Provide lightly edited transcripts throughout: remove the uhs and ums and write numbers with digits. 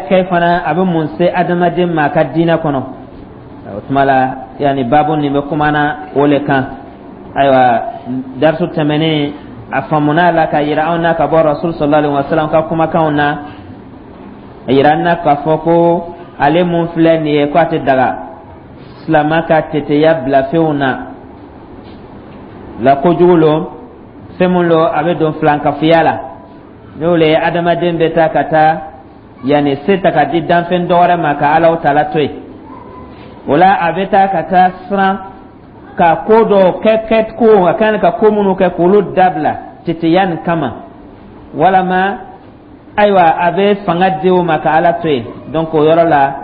Kɛ fana, a bɛ mun se adamaden ma a ka diinɛ kɔnɔ? O tuma la, yanni baabu nin bɛ kumana o le kan. Ayiwa, darisu tɛmɛnen, a faamuna la ka yira anw na ka bɔ Rasul sallallahu alaihi wasallam ka kumakanw na, a yira an na k'a fɔ ko ale mun filɛ nin ye, ko a tɛ daga silama ka teteya bila fɛnw na la. Kojugu lo, fɛn mun lo, a bɛ don filankafoya la. N'o le ye adamaden bɛ taa ka taa yanni se ta ka di danfɛn dɔ wɛrɛ ma ka Alaw tala to yen. O la, a bɛ taa ka taa siran ka ko dɔw kɛ, kɛ ko a kan ka ko minnu kɛ, k'olu dabila teteya nin kama, walama ayiwa, a bɛ fanga di o ma ka Ala to yen. Donc o yɔrɔ la,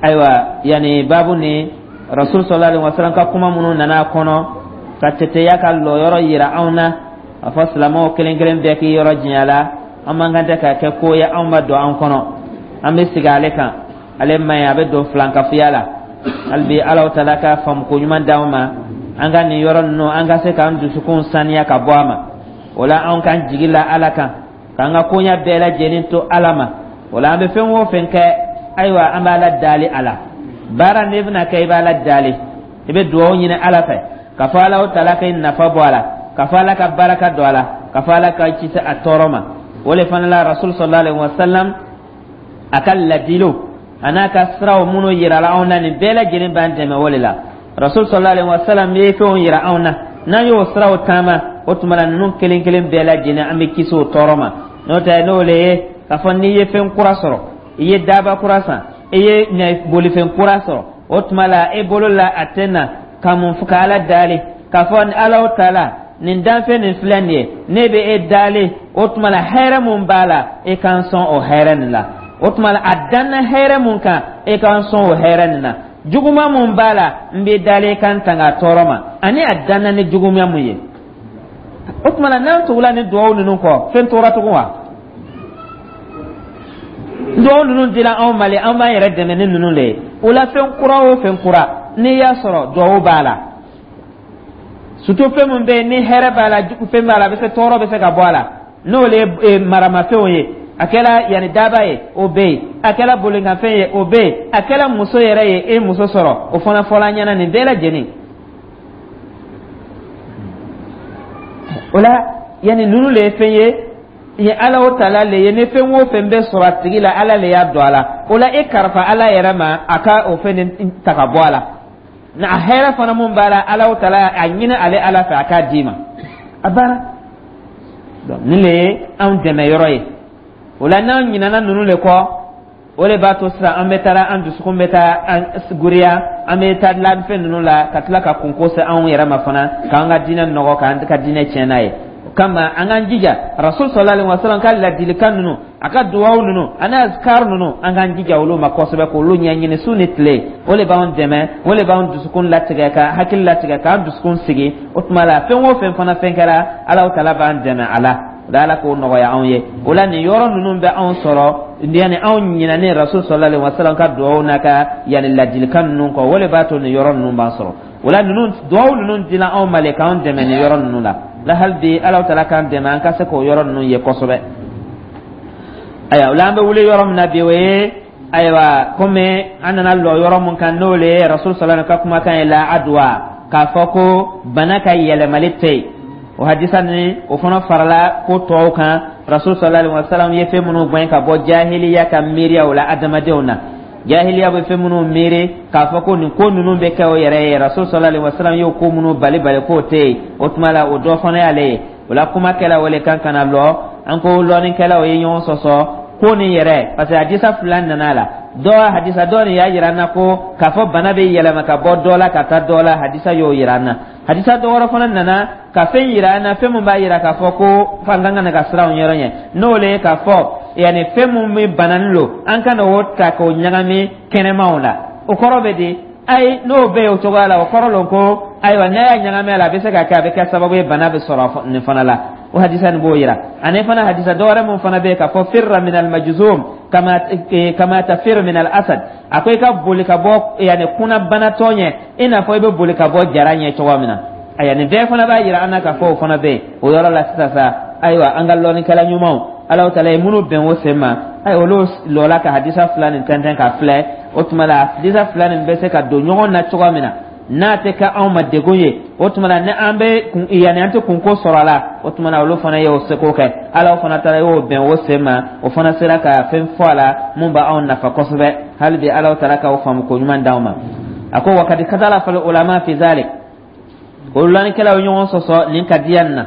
ayiwa, yanni baabu ni Rasul sallallahu alaihi wasallam ka kuma minnu nana a kɔnɔ ka teteya ka lɔyɔrɔ yira anw na, a fɔ silamɛw kelen kelen bɛɛ k'i yɔrɔ janya la. An man kan tɛ ka kɛ ko ye anw ma don an kɔnɔ, an bɛ sigi ale kan. Ale man ɲi, a bɛ don filankafoya la. Hali bi, Alaw tala ka faamuko ɲuman d'anw ma, an ka nin yɔrɔ ninnu, an ka se k'an dusukun saniya ka bɔ a ma. O la, anw k'an jigi la Ala kan, k'an ka koɲɛ bɛɛ lajɛlen to Ala ma. O la, an bɛ fɛn o fɛn kɛ, ayiwa, an b'Ala dali a la. Baara n'i bɛna kɛ, i b'Ala dali, i bɛ dugawu ɲini Ala fɛ k'a fɔ Ala tala ka nafa bɔ a la, k'a fɔ Ala ka baraka don a la, k'a fɔ Ala ka kisi a tɔɔrɔ ma. O le fana la, Rasul sallallahu alaihi wa sallam a ka ladiliw a n'a ka siraw minnu yirala anw na, nin bɛɛ lajɛlen b'an dɛmɛ o de la. Rasul sallallahu alaihi wa sallam ye fɛnw yira anw na, n'an y'o siraw taama, o tuma la, ninnu kelen kelen bɛɛ lajɛlen, an bɛ kisi o tɔɔrɔ ma. N'o tɛ, n'o le ye k'a fɔ n'i ye fɛn kura sɔrɔ, i ye daba kura san, i ye bolifɛn kura sɔrɔ, o tuma la, e bolo la a tɛ na ka mun fɔ ka Ala dali k'a fɔ Ala ta la nin danfɛn nin filɛ nin ye, ne bɛ e dali. O tuma la, hɛrɛ mun b'a la, e k'an sɔn o hɛrɛ nin la. O tuma la, a danna hɛrɛ mun kan, e k'an sɔn o hɛrɛ nin na. Juguman mun b'a la, n bɛ dali e kan tanga tɔɔrɔ ma, ani a danna ni juguman mun ye. O tuma la, n'an tugula ni duwawu ninnu kɔ, fɛn tora tugun wa? Duwawu ninnu dila anw ma le, an b'an yɛrɛ dɛmɛ ni ninnu le ye. O la, fɛn kura o fɛn kura n'i y'a sɔrɔ, duwawu b'a la, surtout fɛn mun bɛ yen ni hɛrɛ b'a la, fɛn b'a la, a bɛ se tɔɔrɔ bɛ se ka bɔ a la, n'o le ye maramafɛnw ye. A kɛra yanni daba ye, o bɛ yen, a kɛra bolinkanfɛn ye, o bɛ yen, a kɛra muso yɛrɛ ye, e muso sɔrɔ, o fana fɔla an ɲɛna, nin bɛɛ lajɛlen. O la, yanni ninnu le ye fɛn ye, ye Ala o tala le ye. Ni fɛn o fɛn bɛ sɔrɔ a tigi la, Ala le y'a don a la. O la, e karifa Ala yɛrɛ ma, a ka o fɛn nin ta ka bɔ a la. Na a hɛrɛ fana mun b'a la, Ala o tala a ɲini ale Ala fɛ a k'a d'i ma, a banna. Donc nin le ye anw dɛmɛ yɔrɔ ye. O la, n'an ɲinɛna ninnu le kɔ, o de b'a to sisan an bɛ taara, an dusukun bɛ taa an guriya, an bɛ taa dilanfɛn ninnu la, ka tila ka kunko se anw yɛrɛ ma fana, k'an ka diinɛ nɔgɔ, k'an ka diinɛ tiɲɛ n'a ye. O kama, an k'an jija Rasul sallallahu alaihi wasallam ka ladilikan ninnu, a ka duwawu ninnu ani azkar ninnu, an k'an jija olu ma kosɛbɛ, k'olu ɲɛɲini su ni tile. O de b'anw dɛmɛ, o de b'an dusukun latigɛ, ka hakili latigɛ, k'an dusukun sigi. O tuma la, fɛn o fɛn fana fɛn kɛra, Ala tala b'an dɛmɛ a la. O la, Ala k'o nɔgɔya anw ye. O la, nin yɔrɔ ninnu bɛ anw sɔrɔ yanni anw ɲinɛnen Rasul sallallahu alaihi wasallam ka duwawu n'a ka yanni ladilikan ninnu kɔ. O de b'a to nin yɔrɔ ninnu b'an sɔrɔ. O la, ninnu duwawu ninnu dila anw ma le k'anw dɛmɛ nin yɔrɔ ninnu la. La hali bi, Ala tala k'an dɛmɛ, an ka se k'o yɔrɔ ninnu ye kosɛbɛ. Ayiwa, o la, an bɛ wuli yɔrɔ min na bi, o ye ayiwa, komi an nana lɔ yɔrɔ mun kan, n'o le ye Rasul sallallahu ka kumakan ye, la adwa, k'a fɔ ko bana ka yɛlɛmali tɛ yen. O hadisa ni o fana farala ko tɔw kan, Rasul sallallahu alaihi wasallam ye fɛn minnu gɛn ka bɔ jahiliya ka miiriyaw la adamadenw na. Jahiliya bɛ fɛn minnu miiri k'a fɔ ko nin ko ninnu bɛ kɛ o yɛrɛ ye, Rasul sallallahu alaihi wasallam y'o ko minnu bali bali k'o tɛ yen. O tuma la, o dɔ fana y'ale ye. O la, kuma kɛla o le kan ka na lɔ an ko lɔnnikɛlaw ye ɲɔgɔn sɔsɔ ko nin yɛrɛ, parce que hadisa fila nana a la. Dɔ hadisa dɔ nin y'a yira an na ko k'a fɔ bana bɛ yɛlɛma ka bɔ dɔ la ka taa dɔ la, hadisa y'o yira an na. Hadisa dɔ wɛrɛ fana nana ka fɛn yira an na, fɛn mun b'a yira k'a fɔ ko f'an kan ka na ka siran o yɔrɔ ɲɛ, n'o le ye k'a fɔ yanni fɛn mun bɛ bananin lo, an kana o ta k'o ɲagami kɛnɛmaw la. O kɔrɔ bɛ di? Ayi, n'o bɛ yen o cogoya la, o kɔrɔ lo ko ayiwa, n'a y'a ɲagami a la, a bɛ se ka kɛ, a bɛ kɛ sababu ye bana bɛ sɔrɔ nin fana la. O hadisa nin b'o yira. Ani fana hadisa dɔ wɛrɛ mun fana bɛ yen k'a fɔ firra min al majzum kama tafir min al asad, a ko i ka boli ka bɔ yanni kunnabanatɔ ɲɛ i n'a fɔ i bɛ boli ka bɔ jara ɲɛ cogo min na. Ayiwa, nin bɛɛ fana b'a yira an na k'a fɔ o fana bɛ yen o yɔrɔ la sisan sa. Ayiwa, an ka lɔnnikɛla ɲumanw, Alahu taala ye minnu bɛn o sen ma, Ayi, olu lɔla ka hadisa fila nin tɛntɛn ka filɛ. O tuma la, hadisa fila nin bɛ se ka don ɲɔgɔn na cogo min na, n'a tɛ kɛ anw ma degun ye, o tuma na ni an bɛ kun, yanni an tɛ kunko sɔrɔ a la. O tuma na, olu fana y'o seko kɛ. Ala fana taara y'o bɛn o sen ma, o fana sera ka fɛn fɔ a la mun b'anw nafa kosɛbɛ. Hali bi, Ala taara k'aw faamu ko ɲuman d'anw ma. A ko: wa kadi ikhtalafa al ulama fi zalik. O lɔnnikɛlaw ɲɔgɔn sɔsɔ nin kadiya nin na.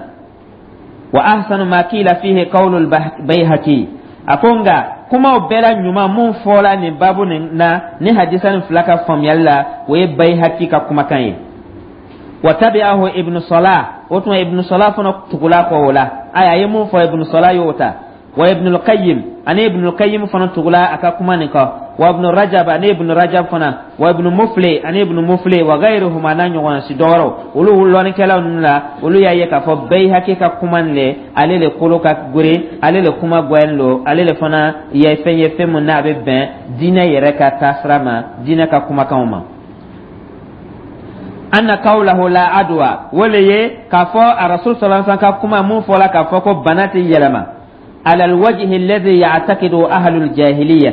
Wa ahsanu ma kila fihi qawlul Bayhaqi. A ko nka kumaw bɛɛ la ɲuman mun fɔla nin babu nin na, ni hadisa nin fila ka faamuyali la, o ye Bayhaqi ka kumakan ye. Wa tabi'ahu Ibnu Salah. O tuma, Ibnu Salah fana tugula kɔ o la. Ayi, a ye mun fɔ, Ibnu Salah y'o ta. Wa Ibnul Qayyim, ani Ibnul Qayyim fana tugula a ka kuma nin kɔ. Wa Ibnu Rajab, ani Ibnu Rajab fana. Wa Ibnu Mufli, ani Ibnu Mufli. Wa ghayruhum, n'a ɲɔgɔn si dɔwɛrɛw. Olu lɔnnikɛlaw ninnu la, olu y'a ye k'a fɔ Bayhaqi ka kuma nin le, ale le kolo ka gere, ale le kuma gwɛn lo, ale le fana ye fɛn ye, fɛn mun n'a bɛ bɛn diinɛ yɛrɛ ka taasira ma, diinɛ ka kumakanw ma. Anna qawlahu la adwa, o le ye k'a fɔ a Rasul sallallahu alaihi wasallam ka kuma mun fɔla k'a fɔ ko bana tɛ yɛlɛma, ala alwajhi alladhi ya'taqidu ahlul jahiliyyah.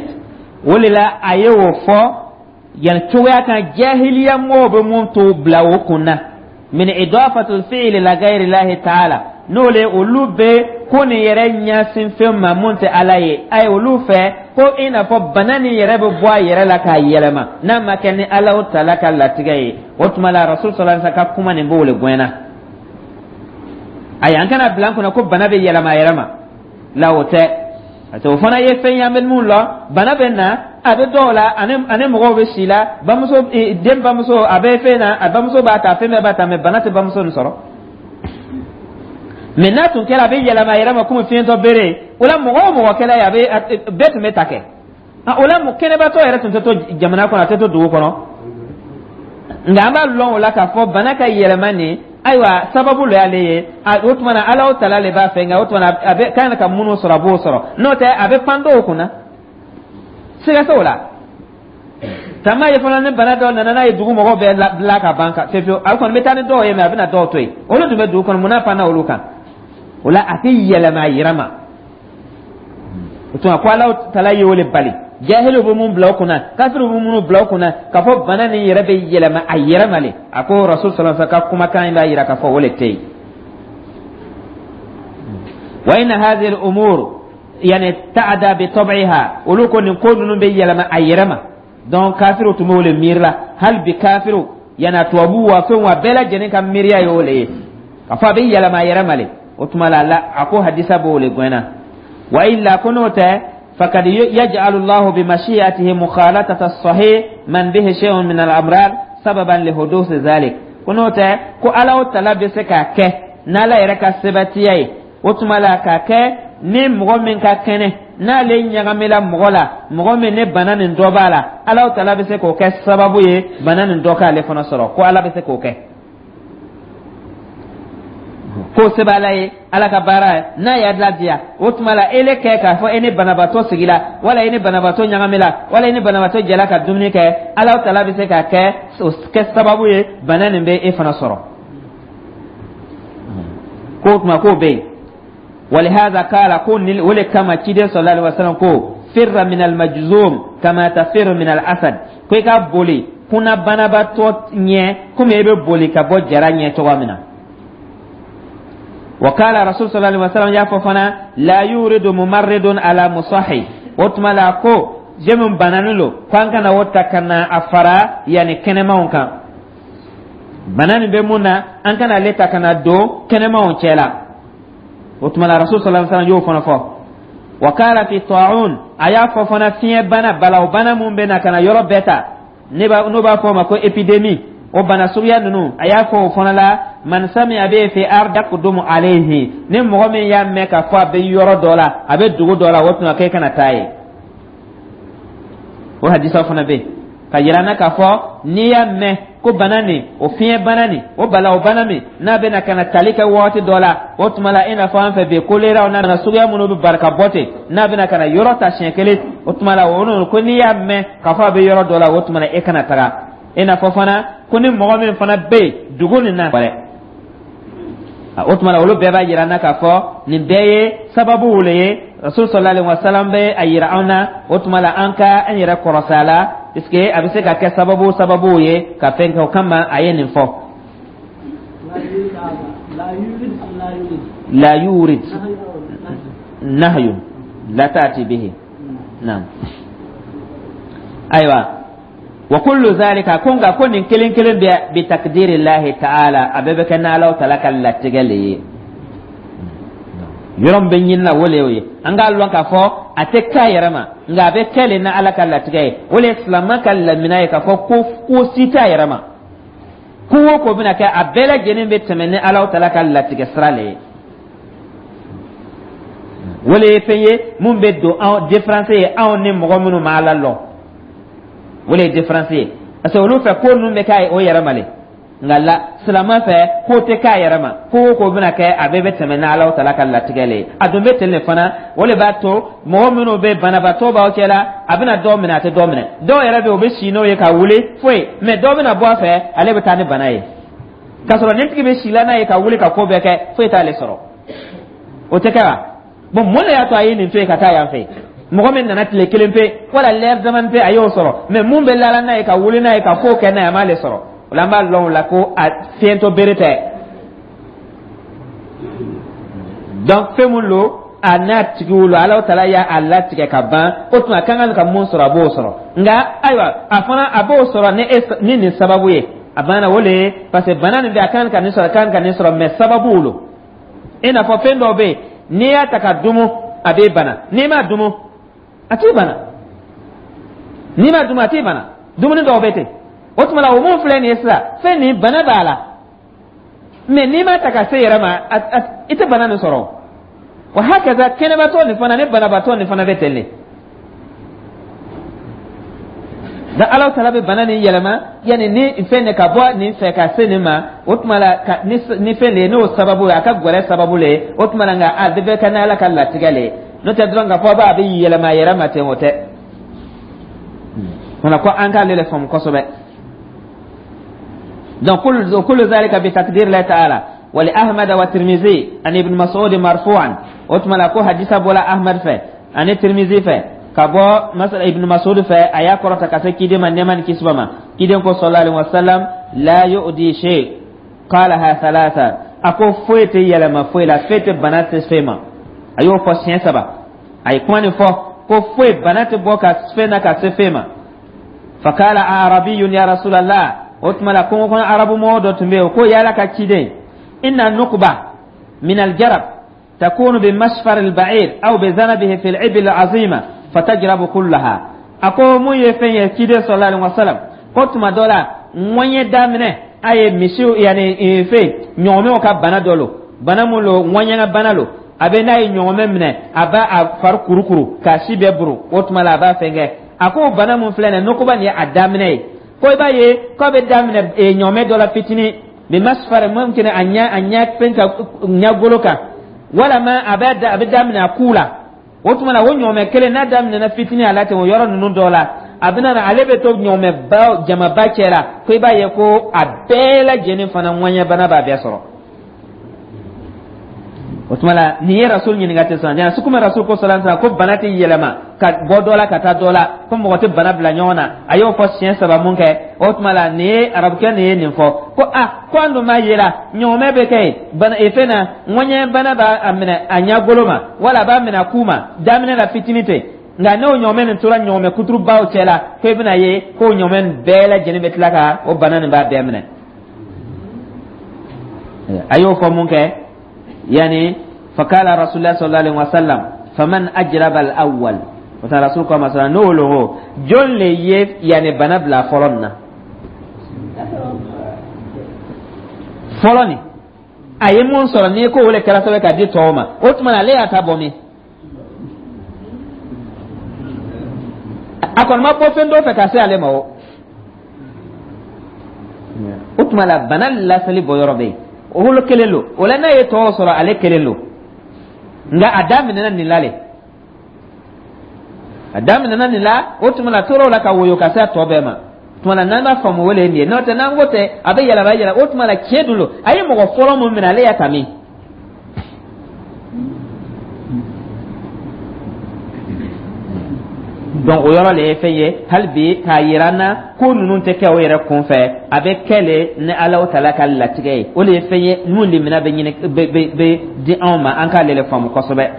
O le la, a ye o fɔ yan cogoya kan, jahiliya mɔgɔw bɛ mun to bila o kun na, min idafatul fi'li la ghayri llahi ta'ala. N'o le, olu bɛ ko nin yɛrɛ ɲɛsin fɛn ma mun tɛ Ala ye. Ayi, olu fɛ ko i n'a fɔ bana nin yɛrɛ bɛ bɔ a yɛrɛ la k'a yɛlɛma, n'a ma kɛ ni Ala taala ka latigɛ ye. O tuma la, Rasul sallallahu alaihi wasallam ka kuma nin b'o le gɛnna. Ayi, an kana bila an kunna ko bana bɛ yɛlɛma a yɛrɛ ma la, o tɛ, parce que o fana ye fɛn ye an bɛ mun lɔn. Bana bɛ na, a bɛ dɔw la, ani mɔgɔw bɛ si la, bamuso, den bamuso a bɛ fɛn na, a bamuso b'a ta, fɛn bɛɛ b'a ta, mais bana tɛ bamuso nin sɔrɔ. Mais n'a tun kɛra a bɛ yɛlɛma a yɛrɛ ma komi fiɲɛtɔ bere, o la mɔgɔ o mɔgɔ kɛla ye, a bɛ bɛɛ tun bɛ ta kɛ. O la, kɛnɛbatɔ yɛrɛ tun tɛ to jamana kɔnɔ, a tɛ to dugu kɔnɔ. Nka an b'a lɔn o la k'a fɔ bana ka yɛlɛma nin, ayiwa, sababu lo y'ale ye. O tuma na, Ala o tala le b'a fɛ. Nka o tuma na, a bɛ kan ka minnu sɔrɔ, a b'o sɔrɔ. N'o tɛ, a bɛ pan dɔw kunna, siga t'o la. Taama ye fana, ni bana dɔ nana, n'a ye dugu mɔgɔw bɛɛ bila ka ban ka fewu, a kɔni bɛ taa ni dɔw ye, mais a bɛna dɔw to yen. Olu tun bɛ dugu kɔnɔ, mun n'a panna olu kan? O la, a tɛ yɛlɛma a yɛrɛ ma. O tuma, ko Ala tala ye o le bali. Jahiliw bɛ mun bila o kunna, kafiriw bɛ minnu bila o kunna k'a fɔ bana nin yɛrɛ bɛ yɛlɛma a yɛrɛ ma le, a ko Rasul sallallahu alaihi wasallam ka kumakan in b'a yira k'a fɔ o le tɛ yen. Wa inna hadhihi al-umur yani ta'da bi tab'iha. Olu ko nin ko ninnu bɛ yɛlɛma a yɛrɛ ma. Donc kafiriw tun b'o le miiri la. Hali bi, kafiriw yana, tubabu wa, fɛn wa, bɛɛ lajɛlen ka miiriya y'o le ye k'a fɔ a bɛ yɛlɛma a yɛrɛ ma le. O tuma la, a ko hadisa b'o le gɛnna. Wa illa, ko n'o tɛ, fakad yaj'alu Allahu bi mashi'atihi mukhalatata as-sahih man bihi shay'un min al-amrad sababan li huduth zalik. Ko n'o tɛ, ko Ala o tala bɛ se k'a kɛ n'Ala yɛrɛ ka sebatiya ye, o tuma la k'a kɛ ni mɔgɔ min ka kɛnɛ, n'ale ɲagamila mɔgɔ la, mɔgɔ min ni bana nin dɔ b'a la, Ala o tala bɛ se k'o kɛ sababu ye bana nin dɔ k'ale fana sɔrɔ. Ko Ala bɛ se k'o kɛ, k'o se b'Ala ye, Ala ka baara ye n'a y'a ladiya. O tuma la, ele kɛ k'a fɔ e ni banabaatɔ sigila, wala e ni banabaatɔ ɲagamila, wala e ni banabaatɔ jɛla ka dumuni kɛ, Ala tala bɛ se k'a kɛ o kɛ sababu ye bana nin bɛ e fana sɔrɔ. K'o tuma k'o bɛ yen. Walihaza kala, ko ni o le kama ciden sallallahu alaihi wasallam ko: firra min almajzum kama tafirru min al-asad. Ko i ka boli kunna banabaatɔ ɲɛ komi e bɛ boli ka bɔ jara ɲɛ cogo min na. Wa kala Rasul sallallahu alaihi wasallam y'a fɔ fana: la yuridu mumarridun ala musahi. O tuma la, ko je min bananen lo, ko an kana o ta ka na a fara yanni kɛnɛmanw kan. Bana nin bɛ mun na, an kana ale ta ka na don kɛnɛmanw cɛ la. O tuma la, Rasul sallallahu alaihi wasallam y'o fana fɔ. Wa kala fi ta'un, a y'a fɔ fana fiɲɛ bana, balaw bana mun bɛ na ka na yɔrɔ bɛɛ ta, ne b'a n'o b'a fɔ o ma ko épidémie, o bana suguya ninnu, a y'a fɔ o fana la: man sami'a bihi fi ard yaqdumu alayhi. Ni mɔgɔ min y'a mɛn k'a fɔ a bɛ yɔrɔ dɔ la, a bɛ dugu dɔ la, o tuma k'e kana taa yen. O hadisa fana bɛ yen ka yira n na k'a fɔ n'i y'a mɛn ko bana nin, o fiɲɛ bana nin, o balaw bana min n'a bɛna ka na tali kɛ waati dɔ la, o tuma la, i n'a fɔ an fɛ bi koleraw n'a nana suguya minnu bɛ bari ka bɔ ten, n'a bɛna ka na yɔrɔ ta siɲɛ kelen, o tuma la, o ko n'i y'a mɛn k'a fɔ a bɛ yɔrɔ dɔ la, o tuma la e kana taga. I n'a fɔ fana ko ni mɔgɔ min fana bɛ yen dugu nin na wɛrɛ. O tuma la, olu bɛɛ b'a yira an na k'a fɔ nin bɛɛ ye sababuw le ye. Rasul sallallahu alaihi wasallam bɛ a yira anw na. O tuma la, an ka an yɛrɛ kɔrɔsi a la, puisque a bɛ se ka kɛ sababuw ye ka fɛn kɛ. O kama a ye nin fɔ. La yurid nahyun la ta'ti bihi. Naam, ayiwa, wa kullu zalika, ko nka ko nin kelen kelen bɛ bi takdiri lahi ta'ala, a bɛɛ bɛ kɛ n'Ala taala ka latigɛ le ye. Yɔrɔ min bɛ ɲini na, o le y'o ye. An k'a lɔn k'a fɔ a tɛ k'a yɛrɛ ma, nka a bɛ kɛ le n'Ala ka latigɛ ye. O le ye silamɛ ka lamina ye k'a fɔ ko ko si t'a yɛrɛ ma, ko o ko bɛna kɛ, a bɛɛ lajɛlen bɛ tɛmɛ ni Ala taala ka latigɛ sira le ye. O le ye fɛn ye mun bɛ don anw différence ye, anw ni mɔgɔ minnu ma Ala lɔn, o le ye différence ye, parce que olu fɛ, ko ninnu bɛ k'a ye o yɛrɛ ma le. Nka la silamɛ fɛ, ko tɛ k'a yɛrɛ ma, ko o ko bɛna kɛ, a bɛɛ bɛ tɛmɛ n'Ala taala ka latigɛ le ye. A dun bɛ ten de fana. O le b'a to mɔgɔ minnu bɛ banabaatɔ b'aw cɛ la, a bɛna dɔw minɛ, a tɛ dɔw minɛ. Dɔw yɛrɛ bɛ yen, u bɛ si n'o ye ka wuli foyi, mais dɔw bɛna bɔ a fɛ, ale bɛ taa ni bana ye, k'a sɔrɔ nin tigi bɛ si la n'a ye ka wuli ka ko bɛɛ kɛ, foyi t'ale sɔrɔ. O tɛ kɛ wa? Bon, mun de y'a to a ye nin to yen ka taa yan fɛ? Mɔgɔ min nana tile kelen pe wala lɛri damani pe, a y'o sɔrɔ, mais mun bɛ lala n'a ye ka wuli n'a ye ka ko kɛ n'a ye, a m'ale sɔrɔ. O la, an b'a lɔn o la ko a fiyɛntɔ bere tɛ. Donc fɛn mun lo, a n'a tigiw lo, Ala taala y'a latigɛ ka ban. O tuma a ka kan ka mun sɔrɔ, a b'o sɔrɔ. Nka ayiwa, a fana a b'o sɔrɔ ni e ni nin sababu ye, a banna. O le ye parce que bana nin bɛ, a kan ka nin sɔrɔ, a kan ka nin sɔrɔ, mais sababuw lo. I n'a fɔ fɛn dɔw bɛ yen, n'i y'a ta ka dumu, a b'e bana. N'i m'a dumu, a t'i bana. N'i m'a dumu, a t'i bana. Dumuni dɔw bɛ ten. O tuma la, o mun filɛ nin ye sisan, fɛn nin bana b'a la, mais n'i m'a ta ka se yɛrɛ ma, i tɛ bana nin sɔrɔ. Wa hakaza, kɛnɛbatɔ nin fana ni banabatɔ nin fana bɛ ten de. Da Ala taala bɛ bana nin yɛlɛma, yanni ni fɛn de ka bɔ nin fɛ ka se nin ma. O tuma la, ka ni fɛn de ye, n'o sababu ye, a ka gɛrɛ sababu le ye. O tuma la, nka a bɛɛ bɛ kɛ n'Ala ka latigɛ le ye. N'o tɛ dɔrɔn k'a fɔ a bɛ yɛlɛma a yɛrɛ ma ten, o tɛ. Fana ko an k'ale le faamu kosɛbɛ. Donc kullu zalika bi takdir la ta'ala. Wa li Ahmad wa Tirmizi an Ibn Mas'ud marfu'an. O tuma la, ko hadisa bɔla Ahmad fɛ ani Tirmizi fɛ ka bɔ masala Ibn Mas'ud fɛ, a y'a kɔrɔta ka se kiden ma, nɛɛma ni kisi b'a ma. Kiden ko sallallahu alaihi wasallam: la yu'di shay. Qalaha thalatha. A ko foyi tɛ yɛlɛma foyi la, foyi tɛ bana tɛ foyi ma. A y'o fɔ siɲɛ saba. A ye kuma nin fɔ ko foyi bana tɛ bɔ ka fɛn na ka se fɛn ma. Fakala arabiyun: ya rasulallah. O tuma la, kungo kɔnɔ arabu mɔgɔ dɔ tun bɛ yen, o ko: y'Ala ka ciden, inna nuqba min aljarab takunu bi masfar alba'ir aw bi zanabihi fi al-ibil azima fatajrabu kullaha. A ko mun ye fɛn ye, ciden sallallahu alaihi wasallam, ko tuma dɔ la, ŋɔɲɛ daminɛ a ye misiw, yani fɛn ɲɔgɔmɛw ka bana dɔ lo, bana mun lo, ŋɔɲɛ ka bana lo. A bɛ n'a ye ɲɔgɔmɛ minɛ, a b'a a fari kurukuru k'a si bɛɛ buru. O tuma la, a b'a fɛn kɛ. A ko bana mun filɛ nin ye, nukuba nin ye a daminɛ ye, ko i b'a ye k'a bɛ daminɛ ɲɔgɔmɛ dɔ la fitinin, bi masfar mumkin, a ɲa fɛn ka ɲɛgolo kan, walama a bɛ daminɛ a ku la. O tuma na, o ɲɔgɔmɛ kelen n'a daminɛna fitinin a la ten, o yɔrɔ ninnu dɔ la, a bɛna na, ale bɛ to ɲɔgɔmɛba jamaba cɛ la, ko i b'a ye ko a bɛɛ lajɛlen fana ŋɔɲɛ bana b'a bɛɛ sɔrɔ. O tuma la, nin ye Rasul ɲininka ten sɔn jana sukuma. Rasul ko sallallahu alaihi ko bana tɛ yɛlɛma ka bɔ dɔ la ka taa dɔ la, ko mɔgɔ tɛ bana bila ɲɔgɔn na. A y'o fɔ siɲɛ saba mun kɛ, o tuma la, nin ye arabukɛ nin ye nin fɔ ko a ko an dun b'a yela ɲɔgɔmɛ bɛ kɛ yen bana fɛn na, ŋɔɲɛ bana b'a minɛ a ɲɛgolo ma, wala a b'a minɛ a ku ma, daminɛ la fitinin ten. Nka n'o ɲɔgɔmɛ nin tora ɲɔgɔmɛ kuturubaw cɛ la, ko i bɛna ye k'o ɲɔgɔmɛ nin bɛɛ lajɛlen bɛ tila ka o bana nin b'a bɛɛ minɛ. A y'o fɔ mun kɛ, yani fakala rasulullah sallallahu alaihi wasallam: faman ajraba al-awwal? O ta Rasul ko masala n'o lo, jɔn le ye yani bana bila fɔlɔ nin na? Fɔlɔ nin a ye mun sɔrɔ n'i ko o le kɛra sababu ka di tɔw ma, o tuma na ale y'a ta bɔ min? A kɔni ma bɔ fɛn dɔ fɛ ka se ale ma. O tuma la, bana lasali bɔ yɔrɔ bɛ yen, o wolo kelen lo. O la, n'a ye tɔw sɔrɔ, ale kelen lo. Nka a daminɛna nin la le, a daminɛna nin la. O tuma la, tor'o la ka woyo ka se a tɔ bɛɛ ma. Tuma la, n'an b'a faamu, o le ye nin ye. N'o tɛ, n'an ko tɛ a bɛ yɛlɛma yɛlɛma, o tuma la, tiɲɛ dun lo, a ye mɔgɔ fɔlɔ mun minɛ, ale y'a ta min? Donc o yɔrɔ le ye fɛn ye hali bi k'a yira an na ko ninnu tɛ kɛ o yɛrɛ kun fɛ, a bɛ kɛ le ni Alahu Taala ka latigɛ ye. O de ye fɛn ye mun limina bɛ ɲini bɛ di anw ma, an k'ale le faamu kosɛbɛ.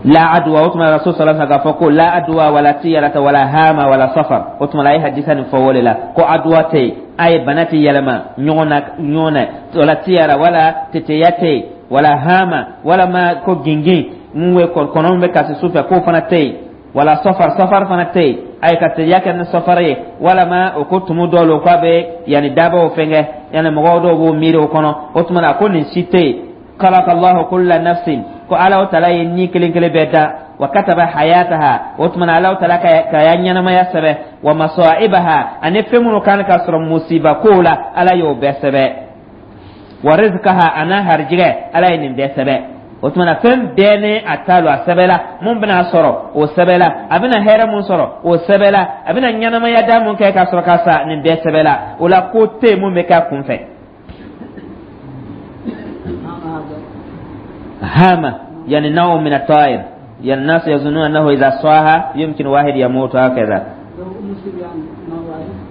La adwa, o tuma Rasul sallallahu alaihi wasallam k'a fɔ ko la adwa wala tiyarata wala hama wala safar. O tuma la, a ye hadisa nin fɔ o de la ko adwa tɛ yen, a ye bana tɛ yɛlɛma ɲɔgɔn na ɲɔgɔn na, wala tiyara, wala teteya tɛ yen, wala hama, walama ko gingin mun bɛ kɔnɔ bɛ kasi su fɛ, k'o fana tɛ yen, wala safar, safar fana tɛ yen, a ye ka teliya kɛ ni safar ye, walama o ko tumu dɔw lo k'a bɛ yanni dabaw fɛnkɛ, yanni mɔgɔw dɔw b'o miiri o kɔnɔ. O tuma na, ko nin si tɛ yen. Khalaqa Allahu kulla nafsin, ko Ala Taala ye ni kelen kelen bɛɛ da, wa kataba hayataha, o tuma na Ala Taala ka ya ɲɛnamaya sɛbɛ, wa masaibaha, ani fɛn minnu kan ka sɔrɔ musiba kow la, Ala y'o bɛɛ sɛbɛ, wa rizqaha, ana harijigɛ, Ala ye nin bɛɛ sɛbɛ. O tuma na, fɛn bɛɛ ni a ta lo, a sɛbɛla. Mun bɛna sɔrɔ, o sɛbɛla. A bɛna hɛrɛ mun sɔrɔ, o sɛbɛla. A bɛna ɲɛnamaya da mun kɛ ka sɔrɔ ka sa, nin bɛɛ sɛbɛla. O la, ko tɛ yen mun bɛ kɛ a kun fɛ. هامة يعني نوع من الطائر، يعني الناس يظنون أنه إذا صاها يمكن واحد يموت هكذا.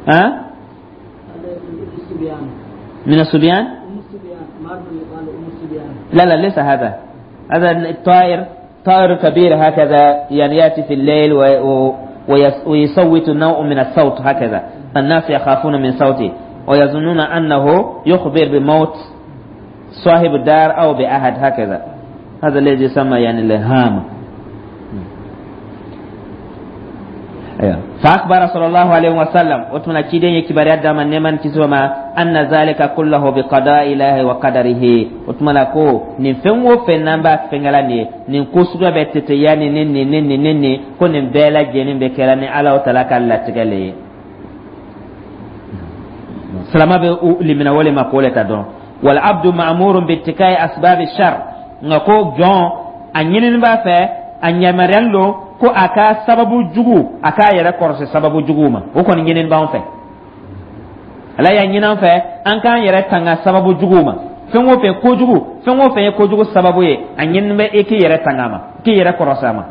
ها؟ من الصبيان؟ لا لا، ليس هذا. هذا الطائر طائر كبير هكذا، يعني يأتي في الليل ويصوت نوع من الصوت هكذا، الناس يخافون من صوته ويظنون أنه يخبر بموت صاحب الدار أو بأحد هكذا. هذا الذي يسمى يعني الهامة. أيوه. فأخبر صلى الله عليه وسلم، وتمنى كيدين يكبر يدام النمان كسوما، أن ذلك كله بقضاء الله وقدره. وتمنى كو نين فين فين نمبا فينغلاني نين كو سوغا بتتياني نين نين نين نين نين كو نين بلا جينين بكراني على وتلاك الله تغلي سلامة لمن ولي ما قولة دون. والعبد مأمور باتكاء أسباب الشر، nka ko jɔn a ɲinini b'a fɛ, a yamaruyalen don ko a ka sababu jugu, a k'a yɛrɛ kɔrɔsi sababu juguw ma. O kɔni ɲinini b'an fɛ, Ala y'a ɲini an fɛ an k'an yɛrɛ tanga sababu juguw ma. Fɛn o fɛn kojugu, fɛn o fɛn ye kojugu sababu ye, a ɲinini bɛ e k'i yɛrɛ tanga a ma, k'i yɛrɛ kɔrɔsi a ma.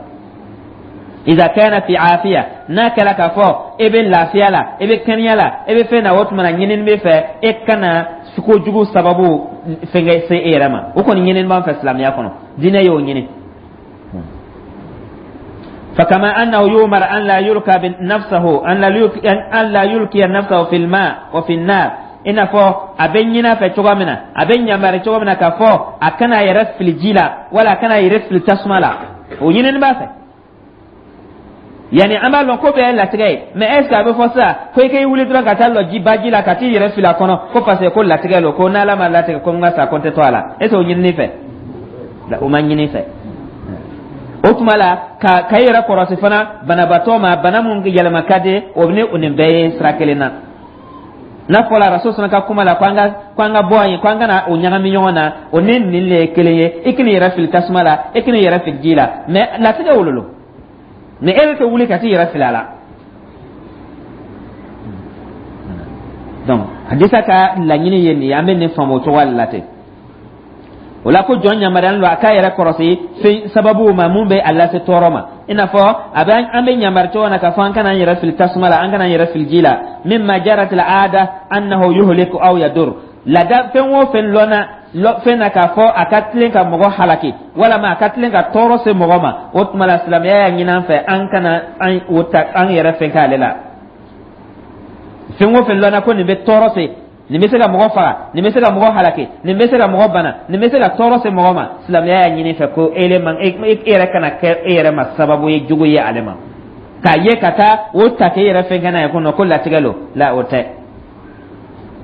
Iza kana fi afiya, n'a kɛra k'a fɔ e bɛ lafiya la, e bɛ kɛnɛya la, e bɛ fɛn na, o tuma na ɲinini bɛ fɛ e kana kojugu sababu fɛnkɛ se e yɛrɛ ma. O kɔni ɲinini b'an fɛ silamɛya kɔnɔ, diinɛ y'o ɲini. فكما أنه يؤمر أن لا يلقى نفسه أن لا يلقي نفسه في الماء وفي النار، i n'a fɔ a bɛ ɲin'a fɛ cogoya min na, a bɛ ɲamari cogo min na k'a fɔ a kana a yɛrɛ fili ji la wala a kana a yɛrɛ fili tasuma la, o ɲinini b'a fɛ. Yani an b'a lɔn ko bɛɛ ye latigɛ ye, mais est ce que a bɛ fɔ sisan ko i k'i wuli dɔrɔn ka taa lɔ ji baji la ka t'i yɛrɛ fili a kɔnɔ ko parce que ko latigɛ lo, ko n'Ala ma latigɛ ko n ka sa ko n tɛ to a la, est ce que o ɲinini fɛ? O ma ɲini fɛ. O tuma la, ka i yɛrɛ kɔrɔsi fana banabaatɔ ma, bana mun yɛlɛma ka di, o ni o nin bɛɛ ye sira kelen na. N'a fɔra Rasul fana ka kuma la ko an ka bɔ yen, ko an kana o ɲagami ɲɔgɔn na, o ni nin le ye kelen ye. I kan'i yɛrɛ fili tasuma la, i kan'i yɛrɛ fili ji la, mais latigɛ wolo, mais e bɛ fɛ wuli ka t'i yɛrɛ fili a la. Donc hadisa ka laɲini ye nin ye, an bɛ nin faamu o cogoya de la ten. O la, ko jɔn yamaruyalen don a k'a yɛrɛ kɔrɔsi fɛn sababuw ma mun bɛ a lase tɔɔrɔ ma, i n'a fɔ a bɛ an bɛ yamari cogo na k'a fɔ an kana an yɛrɛ fili tasuma la, an kana an yɛrɛ fili ji la. Mimma jarat al aada annahu yuhliku aw yadur, laada fɛn o fɛn lɔnna fɛn na k'a fɔ a ka tilen ka mɔgɔ halaki walama a ka tilen ka tɔɔrɔ se mɔgɔ ma, o tuma la silamɛya y'a ɲini an fɛ an kana an o ta an yɛrɛ fɛn k'ale la. Fɛn o fɛn lɔnna ko nin bɛ tɔɔrɔ se, nin bɛ se ka mɔgɔ faga, nin bɛ se ka mɔgɔ halaki, nin bɛ se ka mɔgɔ bana, nin bɛ se ka tɔɔrɔ se mɔgɔ ma, silamɛya y'a ɲini fɛ ko e man e yɛrɛ kana kɛ e yɛrɛ ma sababu ye jugu ye ale ma, k'a ye ka taa o ta k'e yɛrɛ fɛn kɛ n'a ye ko non, ko latigɛ lo la, o tɛ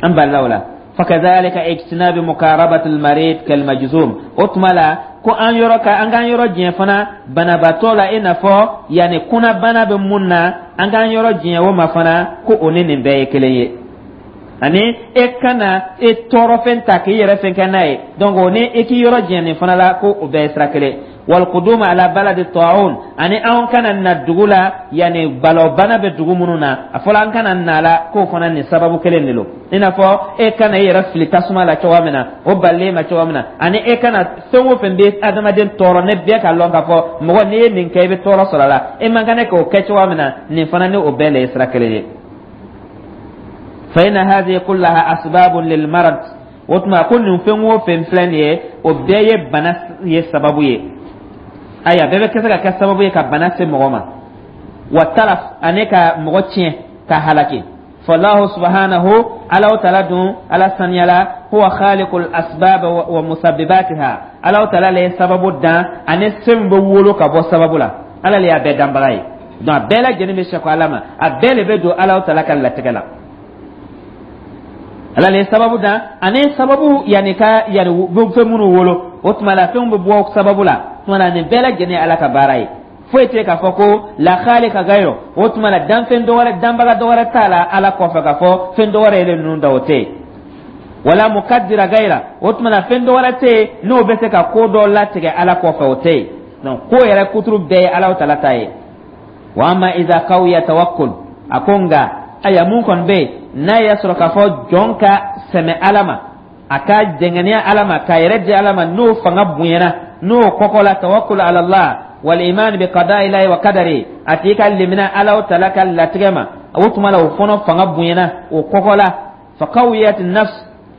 an balila o la. Fakadhalika ijtinabi mukarabati almarid kalmajzum, o tuma la ko an yɔrɔ ka an k'an yɔrɔ jɛn fana banabaatɔ la, i n'a fɔ yanni kunnabana bɛ mun na, an k'an yɔrɔ jɛn o ma fana, ko o ni nin bɛɛ ye kelen ye. Ani e kana e tɔɔrɔfɛn ta k'i yɛrɛ fɛn kɛ n'a ye. Donc o ni e k'i yɔrɔ janya nin fana la, ko o bɛɛ ye sira kelen. Walqudum ala baladi ta'un, ani anw kana na dugu la, yani balawbana bɛ dugu minnu na, a fɔla an kana na la, k'o fana nin sababu kelen de lo. I n'a fɔ e kana i yɛrɛ fili tasuma la cogoya min na, o balilen ma cogoya min na, ani e kana fɛn o fɛn bɛ adamaden tɔɔrɔ, ne bɛɛ ka lɔn k'a fɔ mɔgɔ n'i ye nin kɛ, i bɛ tɔɔrɔ sɔrɔ a la, e man kan k'o kɛ cogoya min na, nin fana ni o bɛɛ le ye sira kelen ye. Fa inna hadhihi kullaha asbabun lil marad. O tuma ko nin fɛn o fɛn filɛ nin ye, o bɛɛ ye bana ye sababu ye. Ayiwa, bɛɛ bɛ se ka kɛ sababu ye ka bana se mɔgɔ ma, wa talaf, ani ka mɔgɔ tiɲɛ, ka halaki. Fallahu subhanahu, Alaw Taala dun, Ala saniyala, huwa khaliqul asbab wa musabbibatiha. Alaw Taala le ye sababu dan ani fɛn bɛ wolo ka bɔ sababu la. Ala le y'a bɛɛ danbaga ye. Donc a bɛɛ lajɛlen bɛ sɛko Ala ma, a bɛɛ le bɛ don Alaw Taala ka latigɛ la. Ala le ye sababu dan ani sababu, yanni ka yanni fɛn minnu wolo, o tuma la fɛnw bɛ bɔ sababu la. O tuma la nin bɛɛ lajɛlen ye Ala ka baara ye. Foyi tɛ k'a fɔ ko la khaliqa gayro. O tuma la danfɛn dɔ wɛrɛ, danbaga dɔ wɛrɛ t'a la Ala kɔfɛ, k'a fɔ fɛn dɔ wɛrɛ yɛrɛ ninnu da, o tɛ yen. Wala mukaddira gayra, o tuma la fɛn dɔ wɛrɛ tɛ yen n'o bɛ se ka ko dɔ latigɛ Ala kɔfɛ, o tɛ yen. Donc ko yɛrɛ kuturu bɛɛ ye Ala Taala ta ye. Wa amma idha qawiya tawakkul, a ko nka aya mun kɔni bɛ yen, n'a y'a sɔrɔ k'a fɔ jɔn ka sɛmɛ Ala ma, a ka dɛngɛniya Ala ma, k'a yɛrɛ di Ala ma, n'o fanga bonyana, n'o kɔkɔla, tawakkul ala Allah wal iman bi qada'i llahi wa qadari, a tigi ka limina Ala Taala ka latigɛ ma, o tuma la o fana fanga bonyana, o kɔkɔla, fa qawiyat nafs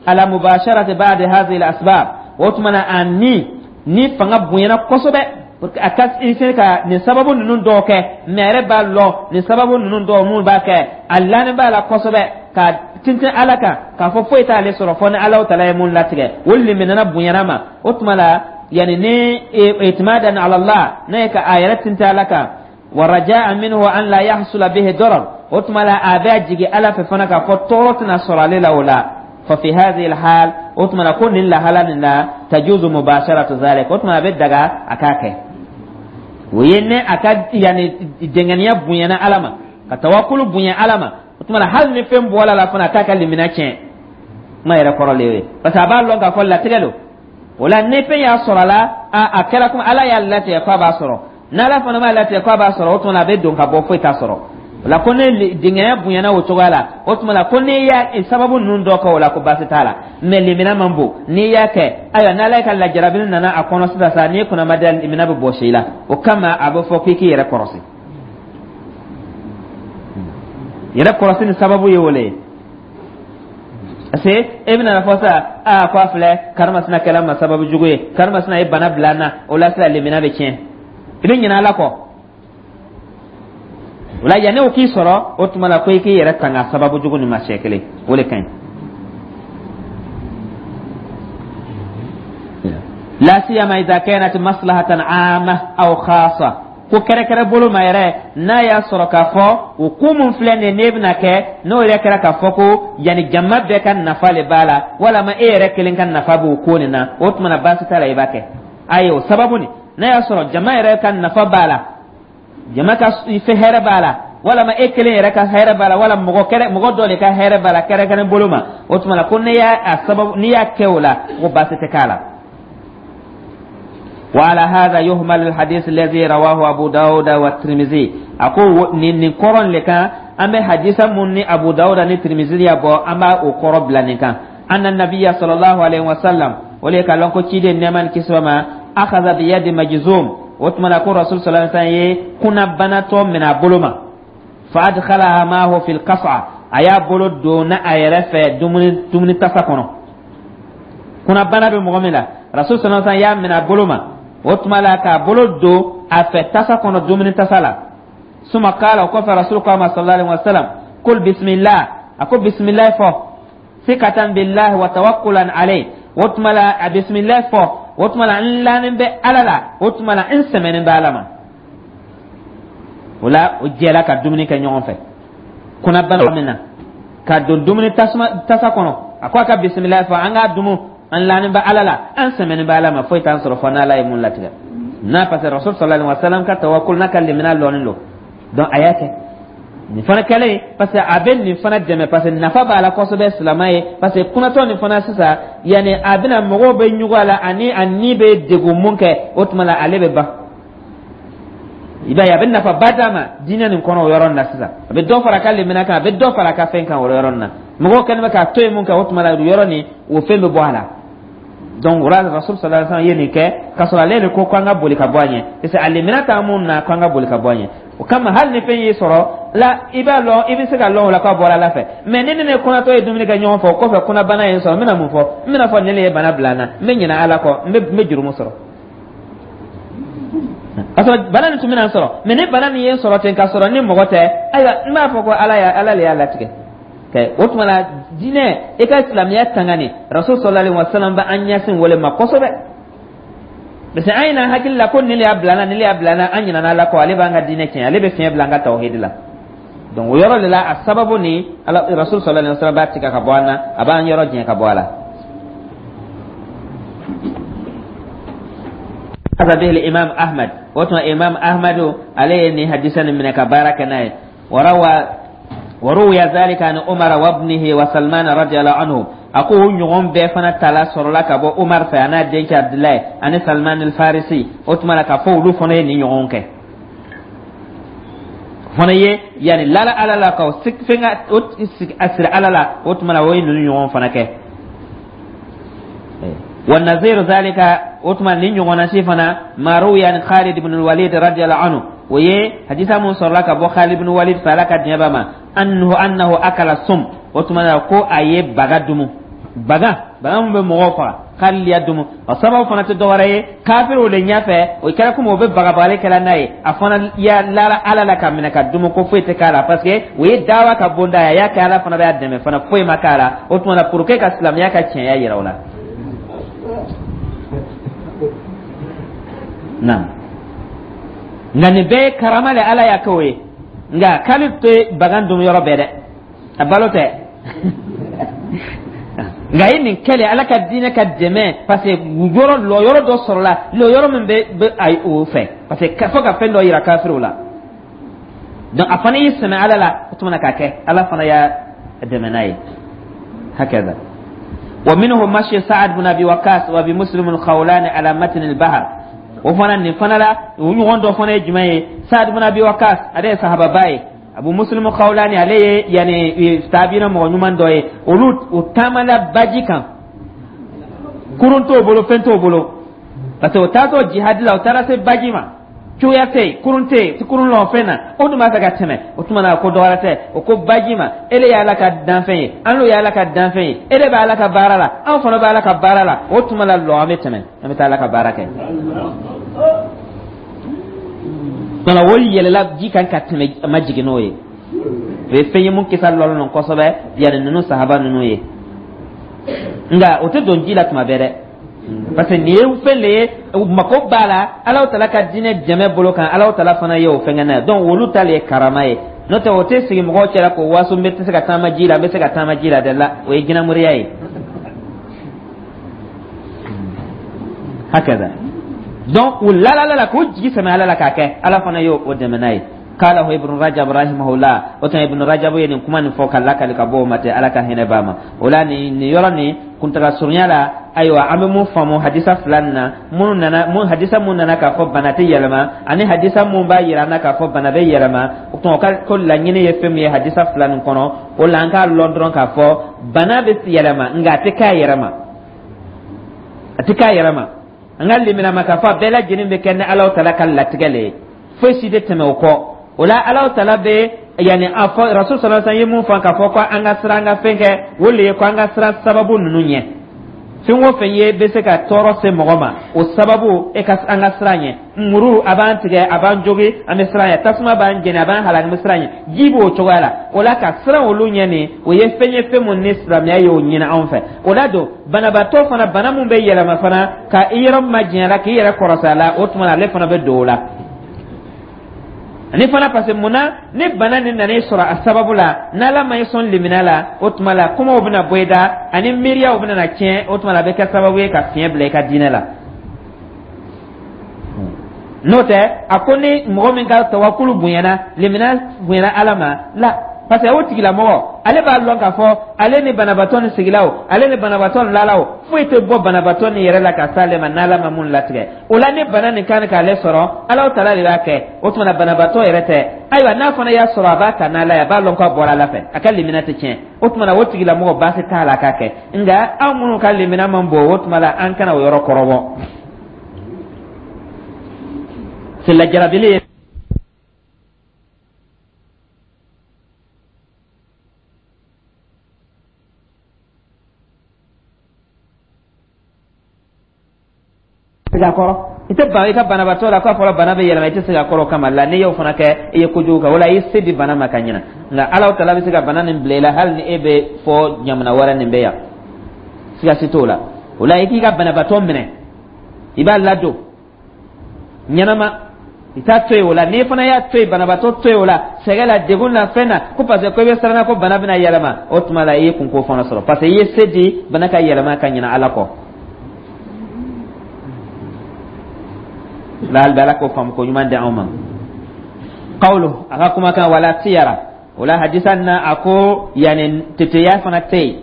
ala mubasharati ba'd hadhihi al asbab. O tuma na a ni fanga bonyana kosɛbɛ a ka se ka nin sababu ninnu dɔw kɛ, mais a yɛrɛ b'a lɔn nin sababu ninnu dɔw mun b'a kɛ, a lanin b'a la kosɛbɛ ka tintin Ala kan, k'a fɔ foyi t'ale sɔrɔ fɔ ni Ala Taala ye mun latigɛ, o liminana bonyana ma. O tuma la yani ni itimadan ala Allah, n'a ye ka a yɛrɛ tintin Ala kan, wa rajaa minhu an la yahsula bihi darar, o tuma la a bɛ jigi Ala fɛ fana k'a fɔ tɔɔrɔ tɛna sɔrɔ ale la o la. Fa fi hadhihi alhal, o tuma la ko nin lahala nin na, tajuzu mubasharatu zalik, o tuma a bɛ daga a k'a kɛ. O ye ne a ka yani dɛngɛniya bonyana Ala ma, ka tawakulu bonya Ala ma, o tuma la hali ni fɛn bɔla la fana, a t'a ka limina tiɲɛ. Kuma yɛrɛ kɔrɔ le ye, parce que a b'a lɔn k'a fɔ latigɛ don. O la ni fɛn y'a sɔrɔ a la, a kɛra komi Ala y'a latigɛ k'a b'a sɔrɔ. N'Ala fana m'a latigɛ k'a b'a sɔrɔ, o tuma la a bɛ don ka bɔ, foyi t'a sɔrɔ. O la ko ne dingɛnya bonyana o cogoya la, o tuma la ko n'i y'a sababu ninnu dɔ kɛ, o la ko baasi t'a la. Mais limina man bon n'i y'a kɛ. Ayiwa, n'Ala ye ka lajarabili nana a kɔnɔ sisan sa, n'i kunna ma da, limina bɛ bɔsi i la. O kama a bɛ fɔ k'i k'i yɛrɛ kɔrɔsi. Yɛrɛ kɔrɔsi ni sababu ye o le ye, parce que e bɛna fɔ sa, aa, ko a filɛ, karimasina kɛla ma sababu jugu ye, karimasina ye bana bila n na. O la sisan limina bɛ tiɲɛ, i bɛ ɲinɛ Ala kɔ. O la yanni o k'i sɔrɔ, o tuma la ko i k'i yɛrɛ tanga sababu jugu nin ma siɲɛ kelen, o de ka ɲi. La siyama idha kanat maslahatan amma aw khassa, ko kɛrɛkɛrɛ bolo ma yɛrɛ, n'a y'a sɔrɔ k'a fɔ o ko mun filɛ nin ye, n'e bɛna kɛ, n'o yɛrɛ kɛra k'a fɔ ko yanni jama bɛɛ ka nafa le b'a la, walama e yɛrɛ kelen ka nafa b'o ko nin na, o tuma na baasi t'a la, i b'a kɛ. Ayi, o sababu nin, n'a y'a sɔrɔ jama yɛrɛ ka nafa b'a la, jama ka fɛ hɛrɛ b'a la, walama e kelen yɛrɛ ka hɛrɛ b'a la, wala mɔgɔ kɛrɛ mɔgɔ dɔ de ka hɛrɛ b'a la kɛrɛkɛrɛ bolo ma, o tuma na ko ne y'a a sababu, n'i y'a kɛ o la, ko baasi tɛ k'a la. وعلى هذا يهمل الحديث الذي رواه أبو داود والترمذي. أكو نين كورن لكان أما حديث من أبو داود والترمذي يبو أما أقرب لنكان أن النبي صلى الله عليه وسلم وليك لونكو تشيدي نمان كسوما أخذ بيد مجزوم، وتمنى كون رسول صلى الله عليه وسلم كنا بناتو من أبولما فأدخلها معه في القصعة، أيا بولو دون أيرفة دمني تساكونو كنا بنا بمغملا رسول صلى الله عليه وسلم يا من أبولما o tuma la k'a bolo don a fɛ tasa kɔnɔ, dumuni tasa la. Suma kala, o kɔfɛ rasul ko a ma sallallahu alaihi wasallam, kul bismillah, a ko bismillah fɔ, sikatan billahi wa tawakkulan alayhi. O tuma la a bismillah fɔ, o tuma la n lanin bɛ Ala la, o tuma la n sɛmɛnen bɛ Ala ma. O la o jɛla ka dumuni kɛ ɲɔgɔn fɛ. Kunnabana min na ka don dumuni tasuma tasa kɔnɔ, a ko a ka bismillah fɔ, an k'a dumu, an lanin bɛ Ala la, an sɛmɛnin bɛ Ala ma, foyi t'an sɔrɔ fɔ n'Ala ye mun latigɛ n'a. Parce que rasul sallallahu alaihi wasallam ka tawakkul n'a ka limina lɔnnen don. Donc a y'a kɛ. Nin fana kɛlen, parce que a bɛ nin fana dɛmɛ, parce que nafa b'a la kosɛbɛ silamɛ ye, parce que kunatɔ nin fana sisan, yanni a bɛna mɔgɔw bɛ ɲugun a la ani a ni bɛ degun mun kɛ, o tuma la ale bɛ ban. I b'a ye, a bɛ nafaba d'a ma diinɛ nin kɔnɔ o yɔrɔ nin na sisan. A bɛ dɔ fara a ka limaniya kan, a bɛ dɔ fara a ka fɛn kan o yɔrɔ nin na. Mɔgɔw kɛlen bɛ k'a to yen mun kɛ, o tuma la o yɔrɔ nin, o fɛn bɛ bɔ a la. Donc o la, Rasul sallallahu alaihi wasallam ye nin kɛ k'a sɔrɔ ale de ko k'an ka boli ka bɔ a ɲɛ, parce que a limaniya t'an mun na k'an ka boli ka bɔ a ɲɛ. O kama, hali ni fɛn y'i sɔrɔ la, i b'a lɔn, i bɛ se ka lɔn o la k'a bɔra Ala fɛ. Mais ni ne kɔnatɔ ye dumuni kɛ ɲɔgɔn fɛ, o kɔfɛ kɔnɔbana ye n sɔrɔ, n bɛna mun fɔ? N bɛna fɔ ne ye bana bila n na, n bɛ ɲinɛ Ala kɔ, n bɛ jurumu sɔrɔ, k'a sɔrɔ bana nin tun bɛna n sɔrɔ. Mais ni bana nin ye n sɔrɔ ten k'a sɔrɔ ni mɔgɔ tɛ, ayiwa, n b'a fɔ ko Ala le y'a latigɛ. O tuma la, diinɛ, i ka silamɛya tangani, Rasul sallallahu alaihi wasallam bɛ an ɲɛsin wale ma kosɛbɛ, parce que an ɲinɛ hakili la ko nin de y'a bila n na, nin de y'a bila n na, an ɲinɛna Ala kɔ. Ale b'an ka diinɛ tiɲɛ, ale bɛ fiɲɛ bila an ka tawhidi la. Donc o yɔrɔ de la, a sababu ni Ala, Rasul sallallahu alaihi wasallam b'a tigɛ ka bɔ an na, a b'an yɔrɔ jɛn ka bɔ a la. Akhadha bihi Imam Ahmad. O tuma Imam Ahmad, ale ye nin hadisa nin minɛ ka baara kɛ n'a ye. Warawa waruwiya zalika an Umar wa ibnihi wa Salman radiyallahu anhu. A ko o ɲɔgɔn bɛɛ fana tala sɔrɔla ka bɔ Umar fɛ, a n'a denkɛ Abdulayi ani Salman al-Farisi. O tuma la, k'a fɔ olu fana ye nin ɲɔgɔn kɛ fana ye, yanni lala Ala la ka fɛn ka o a siri Ala la. O tuma la, o ye ninnu ɲɔgɔn fana kɛ. Wa naziru zalika, o tuma nin ɲɔgɔnna si fana, ma ruwiya an Khalid ibn al-Walid radiyallahu anhu. O ye hadisa mun sɔrɔla ka bɔ Khalid ibn Walid fɛ, Ala ka diɲɛ b'a ma, annahu akala sum. O tuma na, ko a ye baga dumu, baga mun bɛ mɔgɔw faga, Khalid y'a dumu. O sababu fana tɛ dɔwɛrɛ ye, kafiriw de ɲɛfɛ, o kɛra komi o bɛ bagabagali kɛla n'a ye, a fana ya lara Ala la ka minɛ ka dumu, ko foyi tɛ k'a la, parce que o ye dawa ka bonda ye, a y'a kɛ, Ala fana b'a dɛmɛ fana, foyi ma k'a la. O tuma na, pour que ka silamɛya ka tiɲɛya yira o la. Naam, nka nin bɛɛ ye karama le Ala y'a kɛ o ye. Nka k'ale tɛ bagan dun yɔrɔ bɛɛ dɛ, a balo tɛ. Nka a ye nin kɛlɛ Ala ka diinɛ ka dɛmɛ, parce que yɔrɔ lɔ yɔrɔ dɔ sɔrɔla, lɔ yɔrɔ min bɛ ayi o fɛ, parce que fo ka fɛn dɔ yira kafiriw la. Donc a fana y'i sɛmɛ Ala la, o tuma na k'a kɛ, Ala fana y'a dɛmɛ n'a ye. Hakaza wa minhu mashi Sa'ad bin Abi Waqas wa Abi Muslim al-Khawlani ala matn al-bahr. O fana, nin fana la, o ɲɔgɔn dɔ fana ye jumɛn ye? Sa'ad bin Abi Waqas, ale ye sahababa ye. Abu Muslim Khawlani, ale ye yani taabina mɔgɔ ɲuman dɔ ye. Olu u taamana baji kan, kurun t'o bolo, fɛn t'o bolo, parce que o taatɔ jihadi la, o taara se baji ma, cogoya tɛ yen, kurun tɛ yen, kurun lɔ fɛn na, o dun b'a fɛ ka tɛmɛ. O tuma na, ko dɔwɛrɛ tɛ, o ko baji ma: ele ye Ala ka danfɛn ye, an n'o ye Ala ka danfɛn ye, e de bɛ Ala ka baara la, anw fana bɛ Ala ka baara la. O tuma la, lɔ, an bɛ tɛmɛ, an bɛ taa Ala ka baara kɛ. Nka olu yɛlɛla ji kan ka tɛmɛ, a ma jigin n'o ye. O ye fɛn ye mun kisa lɔlen don kosɛbɛ, yanni ninnu sahaba ninnu ye. Nka o tɛ don ji la tuma bɛɛ dɛ, parce que nin ye fɛn de ye, mako b'a la Alahu tala ka diinɛ dɛmɛ bolo kan, Alahu tala fana ye o fɛn kɛ n'a ye. Donc olu ta le ye karama ye, n'o tɛ o tɛ sigi mɔgɔw cɛla k'o waso n bɛ tɛ se ka taama ji la, n bɛ se ka taama ji la dɛ la, o ye jinɛmoriya ye. Hakaza. Donc u lalala la k'u jigi sɛmɛ Ala la k'a kɛ, Ala fana y'o dɛmɛ n'a ye. Qalahu Ibnu Rajab rahimahullah. O tuma Ibnu Rajab ye nin kuma nin fɔ ka lakali ka bɔ o ma ten, Ala ka hinɛ b'a ma. O la, nin yɔrɔ nin kuntaga surunya la, ayiwa, an bɛ mun faamu hadisa fila nin na minnu nana mun? Hadisa mun nana k'a fɔ bana tɛ yɛlɛma, ani hadisa mun b'a yira an na k'a fɔ bana bɛ yɛlɛma. O tuma, o ka ko laɲini ye fɛn min ye hadisa fila nin kɔnɔ, o la an k'a lɔn dɔrɔn k'a fɔ bana bɛ yɛlɛma, nka a tɛ k'a yɛrɛ ma, a tɛ k'a yɛrɛ ma. An ka limina ma k'a fɔ a bɛɛ lajɛlen bɛ kɛ ni Alahu tala ka latigɛ le ye, foyi si tɛ tɛmɛ o kɔ. O la, Alahu tala bɛ yanni a fɔ, Rasul sallallahu alaihi wasallam ye mun fɔ k'a fɔ ko an ka siran, an ka fɛn kɛ, o le ye ko an ka siran sababu ninnu ɲɛ. Fɛn o fɛn ye bɛ se ka tɔɔrɔ se mɔgɔ ma, o sababu e ka an ka siran ɲɛ. Muru a b'an tigɛ, a b'an jogi, an bɛ siran ɲɛ. Tasuma b'an jeni, a b'an halaki, an bɛ siran ɲɛ. Ji b'o cogoya la. O la, ka siran olu ɲɛ nin, o ye fɛn ye, fɛn mun ni silamɛya y'o ɲini anw fɛ. O la don, banabaatɔ fana, bana mun bɛ yɛlɛma fana, ka i yɔrɔ majanya la, k'i yɛrɛ kɔrɔsi a la, o tuma na ale fana bɛ don o la. Ani fana, parce que mun na ni bana nin nana i sɔrɔ a sababu la, n'Ala ma i sɔn limina la, o tuma la kumaw bɛna bɔ i da ani miiriyaw bɛna na tiɲɛ. O tuma la, a bɛ kɛ sababu ye ka fiɲɛ bila i ka diinɛ la. N'o tɛ, a ko ni mɔgɔ min ka tawakulu bonyana, limina bonyana Ala ma la, parce que o tigilamɔgɔ, ale b'a lɔn k'a fɔ ale ni banabaatɔ ni sigila o, ale ni banabaatɔ ni lala o, foyi tɛ bɔ banabaatɔ ni yɛrɛ la ka s'ale ma n'Ala ma mun latigɛ. O la, ni bana nin kan k'ale sɔrɔ, Ala taala de b'a kɛ. O tuma na, banabaatɔ yɛrɛ tɛ. Ayiwa, n'a fana y'a sɔrɔ, a b'a ta n'Ala ye, a b'a lɔn k'a bɔra Ala fɛ, a ka limina tɛ tiɲɛ. O tuma na, o tigilamɔgɔ, baasi t'a la k'a kɛ. Nka anw minnu ka limina man bon, o tuma la, an kana o yɔrɔ kɔrɔbɔ. C'est la jarabili ye. Segin a kɔrɔ, i tɛ ban i ka banabaatɔ la k'a fɔra bana bɛ yɛlɛma, i tɛ segin a kɔrɔ kama la. N'i y'o fana kɛ, i ye kojugu kɛ. O la, i ye se di bana ma ka ɲina. Nka Ala taala bɛ se ka bana nin bila i la hali ni e bɛ fɔ jamana wɛrɛ nin bɛ yan, siga si t'o la. O la, i k'i ka banabaatɔ minɛ, i b'a ladon ɲɛnama, i t'a to yen. O la, n'i fana y'a to yen, banabaatɔ to yen o la, sɛgɛn la, degun na, fɛn na, ko parce que ko i bɛ siran ko bana bɛna yɛlɛma, o tuma la, i ye kunko fana sɔrɔ, parce que i ye se di bana ka yɛlɛma ka ɲinɛ Ala kɔ. La hali Ala k'o faamu ko ɲuman di anw ma. Qawlu, a ka kumakan, wala tiyara, o la hadisa na, a ko yani teteya fana tɛ yen.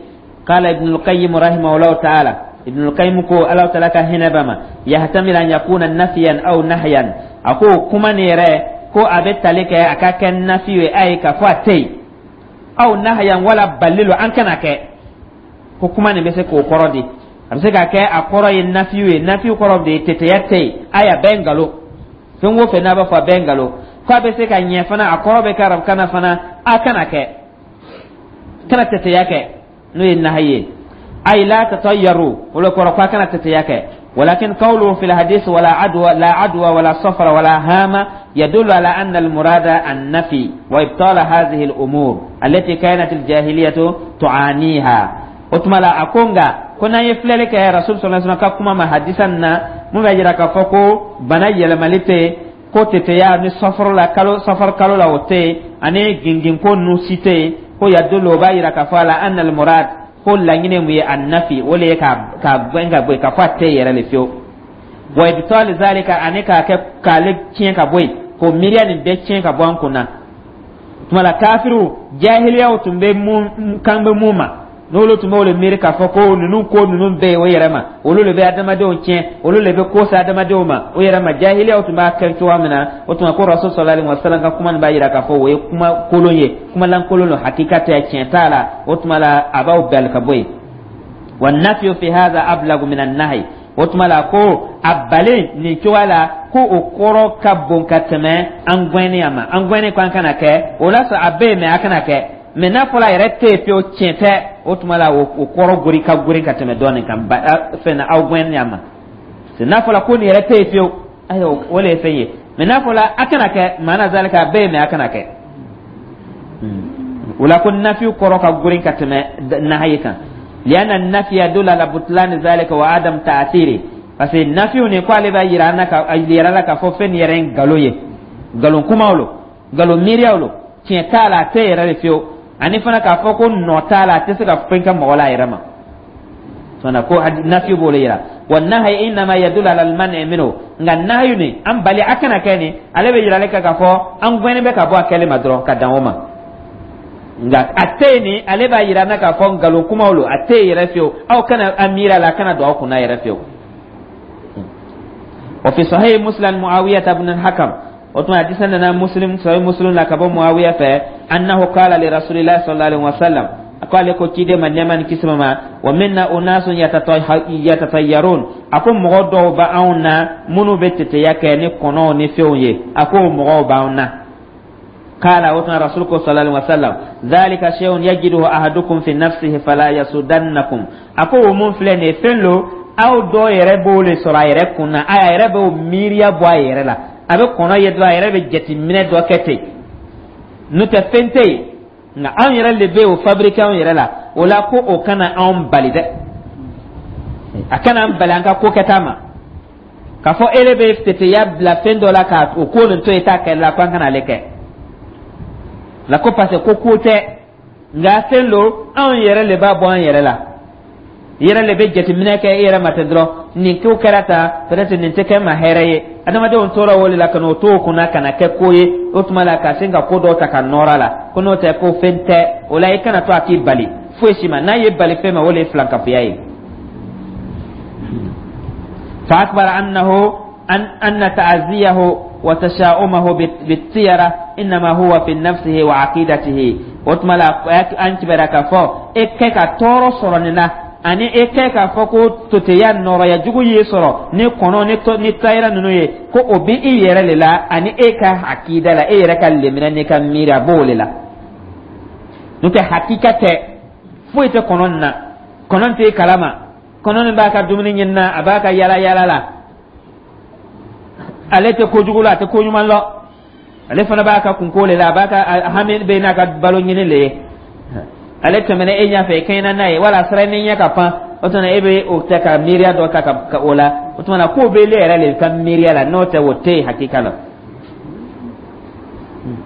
Qala Ibn al-Qayyim rahimahullahu ta'ala, Ibn al-Qayyim ko, Ala ta'ala ka hinɛ b'a ma, yahtamil an yakuna nafiyan aw nahyan. A ko kuma nin yɛrɛ ko a bɛ tali kɛ a ka kɛ nafi ye, a ye k'a fɔ a tɛ yen, aw nahyan, wala balilu, an kana kɛ. Ko kuma nin bɛ se k'o kɔrɔ di. A bɛ se ka kɛ a kɔrɔ ye nafiyu ye. Nafiyu kɔrɔ de ye teteya tɛ yen, a y'a bɛɛ nkalon, fɛn o fɛn n'a b'a fɔ a bɛɛ nkalon. Ko a bɛ se ka ɲɛ fana, a kɔrɔ bɛ kɛ arabukan na fana, a kana kɛ, kana teteya kɛ, n'o ye nahayi ye, ay la tatayyaru, o le kɔrɔ ko a kana teteya kɛ. Walakin qawluhu fil hadith wala adwa, la adwa wala safara wala hama, yadullu ala anna al murada an nafi wa ibtala hadhihi al umur allati kanat al jahiliyatu tu'aniha. O tuma la, a ko nka ko n'an ye filɛli kɛ Rasul sallallahu alaihi wasallam ka kuma ma hadisa na, mun b'a jira k'a fɔ ko bana yɛlɛmali tɛ yen, ko teteya ni safaro la, kalo safar kalo la, o tɛ yen, ani ginginko ninnu si tɛ yen, ko yadullu, o b'a jira k'a fɔ ala anna al murad, ko laɲini mun ye, annafi, o le ye ka gɛn ka bɔ yen, k'a fɔ a tɛ yɛrɛ le fiyewu, wa ibtali zalika, ani k'a kɛ k'ale tiɲɛ ka bɔ yen, k'o miiriya nin bɛɛ tiɲɛ ka bɔ an kun na. Tuma la, kafiriw jahiliyaw tun bɛ mun kan bɛ mun ma, n'olu tun b'o le miiri k'a fɔ ko ninnu ko ninnu bɛɛ ye o yɛrɛ ma, olu le bɛ adamadenw tiɲɛ, olu le bɛ ko se adamadenw ma o yɛrɛ ma, jahiliyaw tun b'a kɛ cogoya min na. O tuma ko Rasul sallallahu alaihi wasallam ka kuma nin b'a jira k'a fɔ o ye kuma kolon ye, kuma lankolon don, hakika tɛ, tiɲɛ t'a la. O tuma la, a b'aw bali ka bɔ yen. Wa nafiyu fi hadha ablagu min an-nahy. O tuma la, ko a balen nin cogoya la, ko o kɔrɔ ka bon ka tɛmɛ an gɛnni a ma, an gɛnni ko an kana kɛ. O la sɔrɔ a bɛ yen, mɛ a kana kɛ. Mɛ n'a fɔra a yɛrɛ tɛ yen fiyewu, tiɲɛ tɛ, o tuma la, o kɔrɔ gori ka gori ka tɛmɛ dɔɔnin kan fɛn na aw gɛnni a ma. N'a fɔra ko nin yɛrɛ tɛ yen fiyewu, ayiwa, o le ye fɛn ye. Mɛ n'a fɔra a kana kɛ, maana zalika, a bɛ yen, mɛ a kana kɛ. O la, ko nafiyu kɔrɔ ka gorin ka tɛmɛ nahayi kan, lianna nafiya yadullu ala butlani zalika wa adam ta'athiri, parce que nafiyu nin ko ale b'a yira an na, ka yira la k'a fɔ fɛn nin yɛrɛ ye nkalon ye, nkalon kumaw lo, nkalon miiriyaw lo, tiɲɛ t'a la, a tɛ yɛrɛ de fiyewu, ani fana k'a fɔ ko nɔ t'a la, a tɛ se ka fɛn kɛ mɔgɔ la a yɛrɛ ma fana. Ko nafiyu b'o le yira. Wa nahayi innama yadullu ala almani minhu. Nka nahayu nin, an bali a kana kɛ nin, ale bɛ yirali kɛ k'a fɔ an gɛnnen bɛ ka bɔ a kɛli ma dɔrɔn, ka dan o ma. Nka a tɛ yen nin, ale b'a yira n na k'a fɔ nkalon kumaw lo, a tɛ yen yɛrɛ fiyewu, aw kana a miiri a la, a kana don aw kunna yɛrɛ fiyewu. Wa fi sahih Muslim Muawiya ibn al-Hakam, o tuma hadisa nana Muslim, sahih Muslim la, ka bɔ Muawiya fɛ, annahu qala li Rasulillahi sallallahu alaihi wasallam, a ko ale ko ciden ma, nɛɛma ni kisi ma, wa minna unasun yatatayyarun, a ko mɔgɔ dɔw bɛ anw na minnu bɛ teteya kɛ ni kɔnɔw ni fɛnw ye, a ko mɔgɔw b'anw na. Qala, o tuma Rasul ko sallallahu alaihi wasallam, dhalika shay'un yajiduhu ahadukum fi nafsihi fala yasudannakum. A ko o mun filɛ nin ye, fɛn lo, aw dɔw yɛrɛ b'o le sɔrɔ a yɛrɛ kun na, a yɛrɛ b'o miiriya bɔ a yɛrɛ la, a bɛ kɔnɔ ye dɔrɔn, a yɛrɛ bɛ jateminɛ dɔ kɛ ten, n'o tɛ fɛn tɛ yen, nka anw yɛrɛ de bɛ o fabriquer anw yɛrɛ la. O la, ko o kana anw bali dɛ, a kana an bali an ka ko kɛta ma, k'a fɔ e bɛ teteya bila fɛn dɔ la ka o ko nin to yen t'a kɛ la, ko an kana ale kɛ la, ko parce que ko ko tɛ, nka fɛn lo, anw yɛrɛ de b'a bɔ an yɛrɛ la. I yɛrɛ le bɛ jateminɛ kɛ i yɛrɛ ma ten dɔrɔn, nin ko kɛra tan, peut-être nin tɛ kɛ ma hɛrɛ ye. Adamadenw tora o de la ka n'o to o kunna ka na kɛ ko ye. O tuma la ka sin ka ko dɔw ta ka nɔrɔ a la ko n'o tɛ ko fɛn tɛ o la. I kana to a k'i bali foyi si ma. N'a ye bali fɛn ma, o de ye filankafoya ye. Fa akbara annahu an anna ta'aziyahu wa tasha'umahu bit-tiyara innama huwa fi nafsihi wa aqidatihi. O tuma la an kibaruya k'a fɔ e kɛ ka tɔɔrɔ sɔrɔ nin na, ani e kɛ k'a fɔ ko toteya nɔrɔya jugu y'i sɔrɔ ni kɔnɔ ni tayira ninnu ye, ko o bɛ i yɛrɛ le la ani e ka akida la, e yɛrɛ ka lemina n'i ka miiri, a b'o le la. N'o tɛ, hakika tɛ, foyi tɛ kɔnɔ nin na. Kɔnɔ tɛ kalama, kɔnɔ nin b'a ka dumuni ɲini na, a b'a ka yala yala la, ale tɛ kojugu la, a tɛ koɲuman lɔ. Ale fana b'a ka kunko le la, a b'a ka hami bɛ n'a ka balo ɲini le ye. Ale tɛmɛna e ɲɛfɛ, i kɛɲɛna n'a ye, wala sira ni ɲɛ ka pan, o tuma e bɛ o tɛ ka miiriya dɔ ta ka o la. O tuma na k'o bɛ e yɛrɛ le ka miiriya la, n'o tɛ, o tɛ yen hakika la.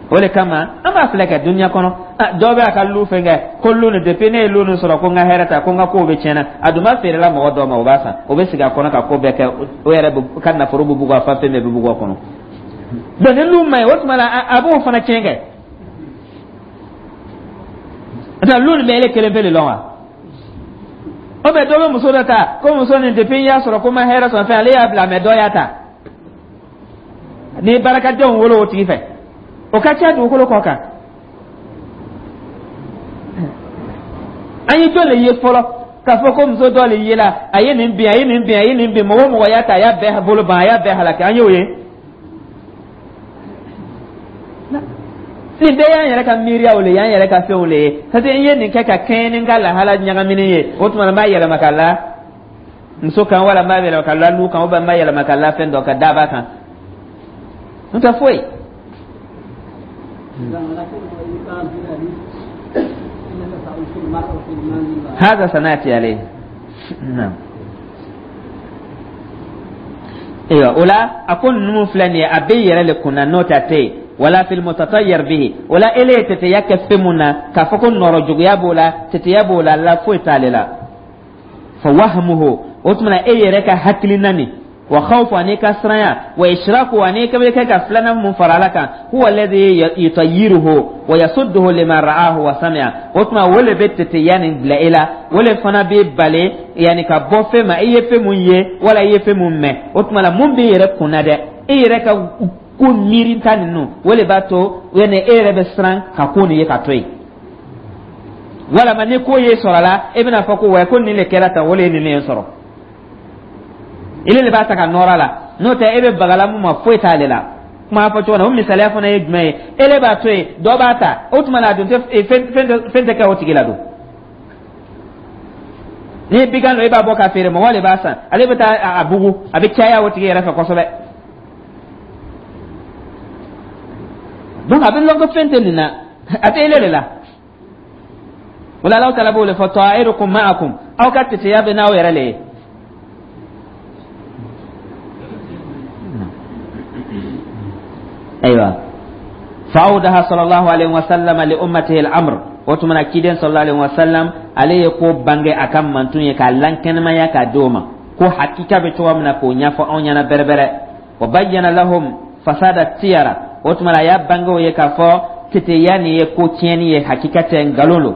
O de kama an b'a filɛ kɛ dunuya kɔnɔ, dɔ bɛ a ka lu fɛn kɛ ko lu nin, depuis ne ye lu nin sɔrɔ ko n ka hɛrɛ ta, ko n ka kow bɛ tiɲɛna. A dun b'a feerela mɔgɔ dɔ ma, o b'a san, o bɛ sigi a kɔnɔ ka ko bɛɛ kɛ. O yɛrɛ ka nafolo bɛ bugu a fa, fɛn bɛɛ bɛ bugu a kɔnɔ. Donc ni lu ma ɲi, o tuma la a b'o fana tiɲɛ kɛ. N'o lu nin bɛ ele kelen pe de lɔn wa? O bɛ dɔ bɛ muso dɔ ta ko muso nin, depuis n y'a sɔrɔ ko n ma hɛrɛ sɔrɔ fɛn, ale y'a bila, mɛ dɔ y'a ta ni barakadenw wolo o tigi fɛ, o ka ca dugukolo kɔ kan. An ye jɔn le ye fɔlɔ k'a fɔ ko muso dɔ le yela, a ye nin bin, a ye nin bin, a ye nin bin, mɔgɔ o mɔgɔ y'a ta, a y'a bɛɛ bolo ban, a y'a bɛɛ halaki? An y'o ye. Nin bɛɛ y'an yɛrɛ ka miiriyaw le ye, y'an yɛrɛ ka fɛnw le ye, parce que n ye nin kɛ ka kɛɲɛ ni n ka lahala ɲagaminen ye. O tuma na n b'a yɛlɛma ka la muso kan, wala n b'a yɛlɛma ka la lu kan, ou n b'a yɛlɛma ka la fɛn dɔ ka daba kan, n tɛ foyi. هذا سنأتي عليه، نعم. Ayiwa, o la a ko ninnu filɛ nin ye, a bɛ yɛrɛ le kunna, n'o tɛ a tɛ yen. Wala fil mutatayyir bihi, o la ele ye teteya kɛ fɛn mun na k'a fɔ ko nɔrɔ juguya b'o la, teteya b'o la, la foyi t'ale la. Fa wahmuhu, o tuma na e yɛrɛ ka hakilina nin, wa khawfu, ani ka siranya, wa ishraku, ani ka bɛ kɛ ka filanan mun fara ala kan, huwa alladhi yutayyiruhu wa yasudduhu lima ra'ahu wa sami'a. O tuma o le bɛ teteya nin bila e la, o le fana bɛ bali yanni ka bɔ fɛn ma, i ye fɛn mun ye wala i ye fɛn mun mɛn. O tuma la mun b'i yɛrɛ kunna dɛ, e yɛrɛ ka ko miirinta ninnu, o le b'a to yanni e yɛrɛ bɛ siran ka ko nin ye ka to yen. Walama ni ko ye sɔrɔ la, e bɛna fɔ ko wa ko nin de kɛra tan, o le ye nin ye sɔrɔ, ile de b'a ta ka nɔrɔ a la. N'o tɛ, e bɛ bagala mun ma, foyi t'ale la. Kuma fɔ cogo na, o misaliya fana ye jumɛn ye? Ele b'a to yen, dɔ b'a ta, o tuma la a dun tɛ fɛn tɛ kɛ o tigi la don. N'i ye bigan dɔ, e b'a bɔ k'a feere, mɔgɔ de b'a san, ale bɛ taa a bugu, a bɛ caya o tigi yɛrɛ fɛ kosɛbɛ. Donc a bɛ lɔn ko fɛn tɛ nin na, a tɛ ele de la. O la Alahu taala b'o de fɔ: ta'irukum ma'akum, aw ka teteya bɛ n'aw yɛrɛ le ye. Ayiwa, fa'awdaha sallallahu alaihi wasallam li ummatihi al-amr. O tuma na ciden sallallahu alaihi wasallam, ale ye ko bange a ka mantun ye k'a lankɛnɛmaya k'a di o ma, ko hakika bɛ cogo min na, k'o ɲɛfɔ anw ɲɛna bɛrɛbɛrɛ. Wa bayyana lahum fasada tiyara, o tuma na a y'a bange o ye k'a fɔ teteya nin ye ko tiɲɛni ye, hakika tɛ, nkalon lo.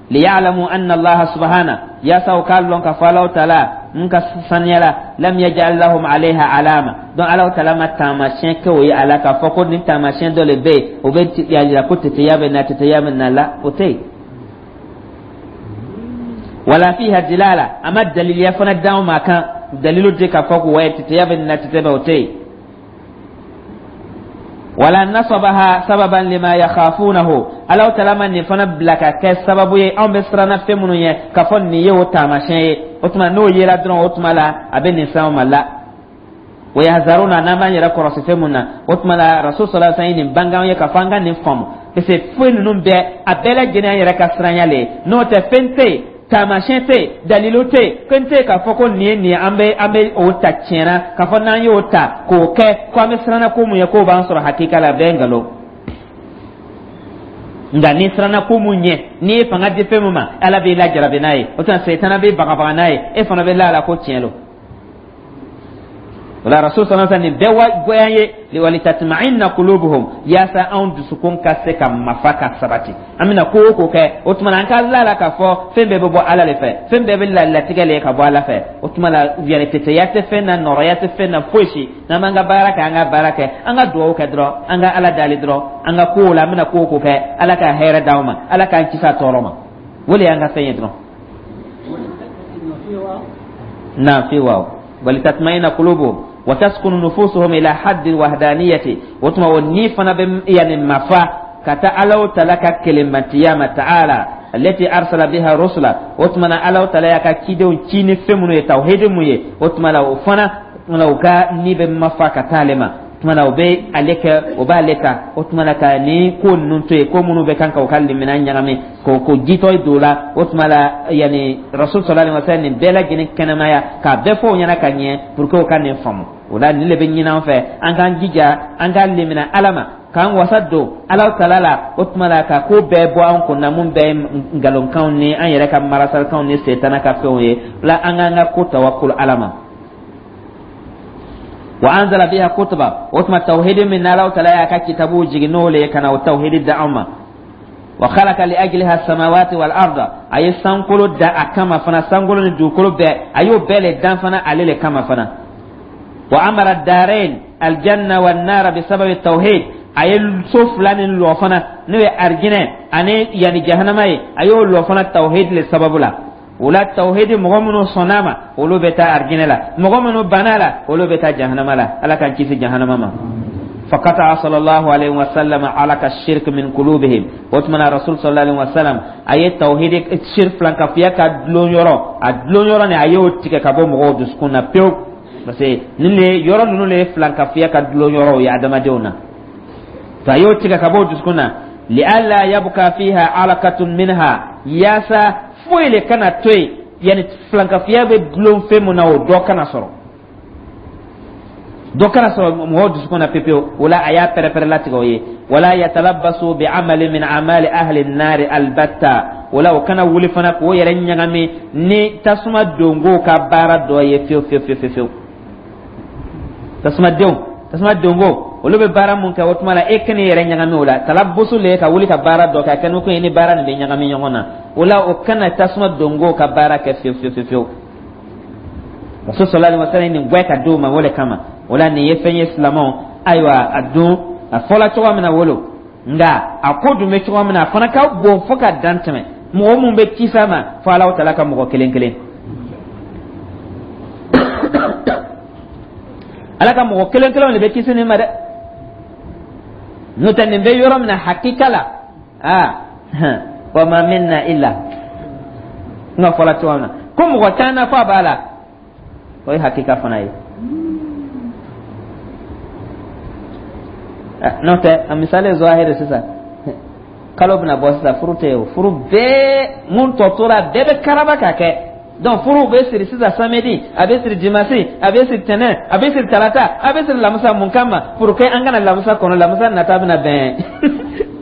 Liya'lamu anna allaha subhana, yaasa u k'a lɔn k'a fɔ Alahu taala n ka saniya la, lam yaj'al lahum alayha alama. Donc Alahu taala ma taamasiyɛn kɛ o ye a la k'a fɔ ko nin taamasiyɛn dɔ le bɛ yen, o bɛ y'a jira ko teteya bɛ na, teteya bɛ na la, o tɛ yen. Wala fiha dilala, a ma daliliya fana d'anw ma kan dalilu di k'a fɔ ko wa teteya bɛ na, teteya bɛ, o tɛ yen. Wala nasabaha sababan lima yakhafunahu, Alahu taala ma nin fana bila ka kɛ sababu ye anw bɛ siranna fɛn minnu ye, k'a fɔ nin ye o taamasiyɛn ye. O tuma n'o yera dɔrɔn, o tuma la a bɛ nin fɛnw ma la. Wa yahzaruna, n'an b'an yɛrɛ kɔlɔsi fɛn mun na. O tuma la rasul sallallahu alaihi wasallam ye nin bange anw ye k'a fɔ an ka nin faamu, parce que foyi ninnu bɛɛ, a bɛɛ lajɛlen an yɛrɛ ka siranya le ye. N'o tɛ, fɛn tɛ yen, taamasiyɛn tɛ yen, dalilu tɛ yen, fɛn tɛ yen k'a fɔ ko nin ye nin ye, an bɛ o ta tiɲɛ na, k'a fɔ n'an y'o ta k'o kɛ ko an bɛ siranna ko mun ye, k'o b'an sɔrɔ hakika la, a bɛɛ ye nkalon. Nka n'i siranna ko mun ɲɛ, n'i ye fanga di fɛn mun ma, Ala b'i lajarabi n'a ye. O tuma Sɛtana b'i bagabaga n'a ye, e fana bɛ la a la ko tiɲɛ lo. O la, Rasul sallallahu alaihi wasallam, nin bɛɛ wa goya ye walitatma'inna qulubuhum, yaasa anw dusukun ka se ka mafa ka sabati. An bɛna ko o ko kɛ, o tuma na an ka la la k'a fɔ fɛn bɛɛ bɛ bɔ Ala de fɛ, fɛn bɛɛ bɛ latigɛ le ka bɔ Ala fɛ. O tuma la, yani tɛtɛya tɛ fɛn na, nɔrɔya tɛ fɛn na, foyi si. N'an b'an ka baara kɛ, an ka baara kɛ, an ka dugawu kɛ dɔrɔn, an ka Ala dali dɔrɔn, an ka kow la, an bɛna ko o ko kɛ, Ala ka hɛrɛ d'anw ma, Ala k'an kisi a tɔɔrɔ ma. O de y'an ka fɛn ye dɔrɔn. Na fi waaw walitatma'inna qulubuhum wa taskunu nufusuhum ila haddi wahdaniyati. O tuma o ni fana bɛ yani mafa ka taa Alaw tala ka kelenmatiya ma, ta'ala allati arsala biha rusula. O tuma na, Alaw tala y'a ka cidenw ci ni fɛn minnu ye, tawhidi mun ye, o tuma la o fana tuma la u ka ni bɛ mafa ka taa ale ma. O tuma na o bɛ ale kɛ, o b'ale ta. O tuma na ka ni ko ninnu to yen, ko minnu bɛ kan ka u ka limina ɲagami ko ko jitɔ don la. O tuma la, yani Rasul sallallahu alaihi wasallam nin bɛɛ lajɛlen kɛnɛmaya k'a bɛɛ fɔ o ɲɛna ka ɲɛ pour que o ka nin faamu. O la, nin de bɛ ɲini an fɛ, an k'an jija, an k'an limina Ala ma, k'an wasa don Ala tala la. O tuma la ka ko bɛɛ bɔ an kun na, mun bɛɛ ye nkalonkanw ni an yɛrɛ ka marasalikanw ni setana ka fɛnw ye. O la, an k'an ka ko tawakkul Ala ma. Wa anzala biha kutuba. O tuma tawhidi min n'Ala tala y'a ka kitabu jigin n'o le ye ka na o tawhidi da anw ma. Wa khalaqa li ajliha samawati wal arda. A ye sankolo da a kama fana, sankolo ni dugukolo bɛɛ, a y'o bɛɛ le dan fana ale le kama fana. Wa amara darain aljanna wan nara bisababi tawhid. A ye so fila nin lɔ fana, n'o ye arijinɛ ani yani jahanama ye, a y'o lɔ fana tawhid le sababu la. O la, tawhidi, mɔgɔ minnu sɔnn'a ma, olu bɛ taa arijinɛ la, mɔgɔ minnu banna la, olu bɛ taa jahanama la. Ala k'an kisi jahanama ma. Faqata sallallahu alaihi wasallam alaka shirk min qulubihim. O tuma na, Rasul sallallahu alaihi wasallam a ye tawhidi shirk filankafiya ka dulon yɔrɔ, a dulon yɔrɔ ni a y'o tigɛ ka bɔ mɔgɔw dusukun na pewu, parce que nin le yɔrɔ ninnu le ye filankafiya ka dulon yɔrɔw ye adamadenw na. To a y'o tigɛ ka bɔ o dusukun na, li'alla yabqa fiha alakatun minha, yaasa foyi le kana to yen, yani filankafiya bɛ dulon fɛn mun na, o dɔ kana sɔrɔ, dɔ kana sɔrɔ mɔgɔw dusukun na pepewu. O la, a y'a pɛrɛpɛrɛ latigɛ o ye. Wala yatalabbasu bi amali min amali ahli nari albatta. O la, o kana wuli fana k'o yɛrɛ ɲagami ni tasuma dongow ka baara dɔ ye fewu fewu fewu fewu. Tasuma denw, tasuma dongo, olu bɛ baara mun kɛ, o tuma la e kan'i yɛrɛ ɲagami o la. Talabusu le ka wuli ka baara dɔ kɛ, a kɛ ni ko ye ni baara nin bɛ ɲagami ɲɔgɔn na. O la, o kana tasuma dongo ka baara kɛ fewu fewu fewu. Rasul sallallahu alaihi wasallam nin gwɛ ka d'o ma o le kama. O la, nin ye fɛn ye, silamɛw. Ayiwa, a dun a fɔla cogo min na wolo, nka a ko dun bɛ cogo min na, a fana ka bon fo ka dan tɛmɛ. Mɔgɔ mun bɛ kisi a ma, fo Alahu taala ka mɔgɔ kelen kelen, Ala ka mɔgɔ kelen kelenw de bɛ kisi nin ma dɛ. N'o tɛ, nin bɛ yɔrɔ min na hakika la, aa, wa ma minna illa n ka fɔla cogo min na ko mɔgɔ t'an na f'a b'a la, o ye hakika fana ye. N'o tɛ, a misali zahiri, sisan kalo bɛna bɔ sisan, furu tɛ yen. O furu bɛɛ mun tɔ tora, bɛɛ bɛ karaba ka kɛ. Donc furu bɛ siri sisan samedi, a bɛ siri dimanche, a bɛ siri tɛnɛn, a bɛ siri talata, a bɛ siri lamisa. Mun kama? Pour que an kana lamisa kɔnɔ, lamisa nata bɛna bɛn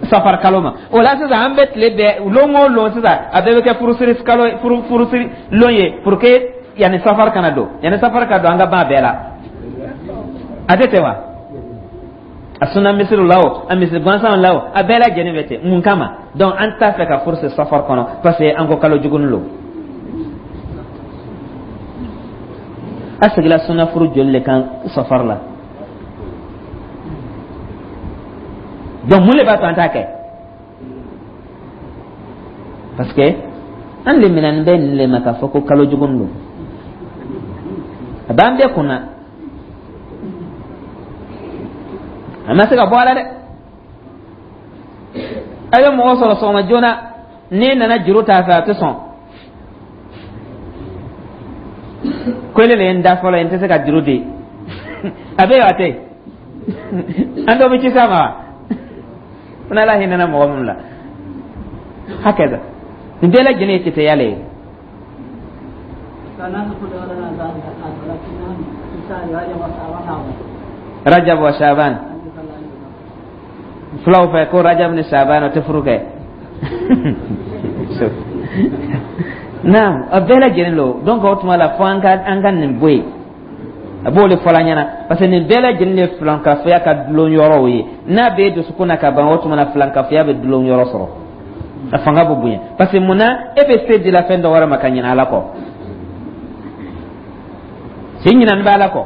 safar kalo ma. O la sisan, an bɛ tile bɛɛ, lon o lon sisan, a bɛɛ bɛ kɛ furusiri kalo, furu furusiri lon ye, pour que yanni safar kana don, yanni safar ka don, an ka ban a bɛɛ la. A tɛ ten wa? A sunna misiriw la o, a misiri gansanw la o, a bɛɛ lajɛlen bɛ ten. Mun kama? Donc an t'a fɛ ka furu siri safar kɔnɔ, parce que an ko kalo jugunin lo. A sigila sunna furu joli le kan safar la? Donc mun le b'a to an t'a kɛ? Parce que an leminani bɛ nin le ma k'a fɔ ko kalo jugunin don, a b'an bɛɛ kunna, a ma se ka bɔ a la dɛ. A bɛ mɔgɔ sɔrɔ sɔgɔma joona, n'i nana juru t'a fɛ, a tɛ sɔn, ko ele le ye n da fɔlɔ ye, n tɛ se ka juru di. A bɛ yen wa? A tɛ yen? An dɔ bɛ ci s'a ma wa? Fo n'Ala hinɛna mɔgɔ minnu la. Hakaza, nin bɛɛ lajɛlen ye tɛtɛya le ye. Rajab wa Shaban, fulaw fɛ ko Rajab ni Shaban o tɛ furu kɛ. Naam, a bɛɛ lajɛlen lo. Donc o tuma la, fo an ka nin bɔ yen. A b'o de fɔla ɲɛna, parce que nin bɛɛ lajɛlen ye filankafoya ka dulon yɔrɔw ye. N'a b'e dusukun na ka ban, o tuma na filankafoya bɛ dulon yɔrɔ sɔrɔ, a fanga bɛ bonya. Parce que mun na e bɛ se dila fɛn dɔ wɛrɛ ma ka ɲinɛ Ala kɔ? Si ɲinani bɛ Ala kɔ,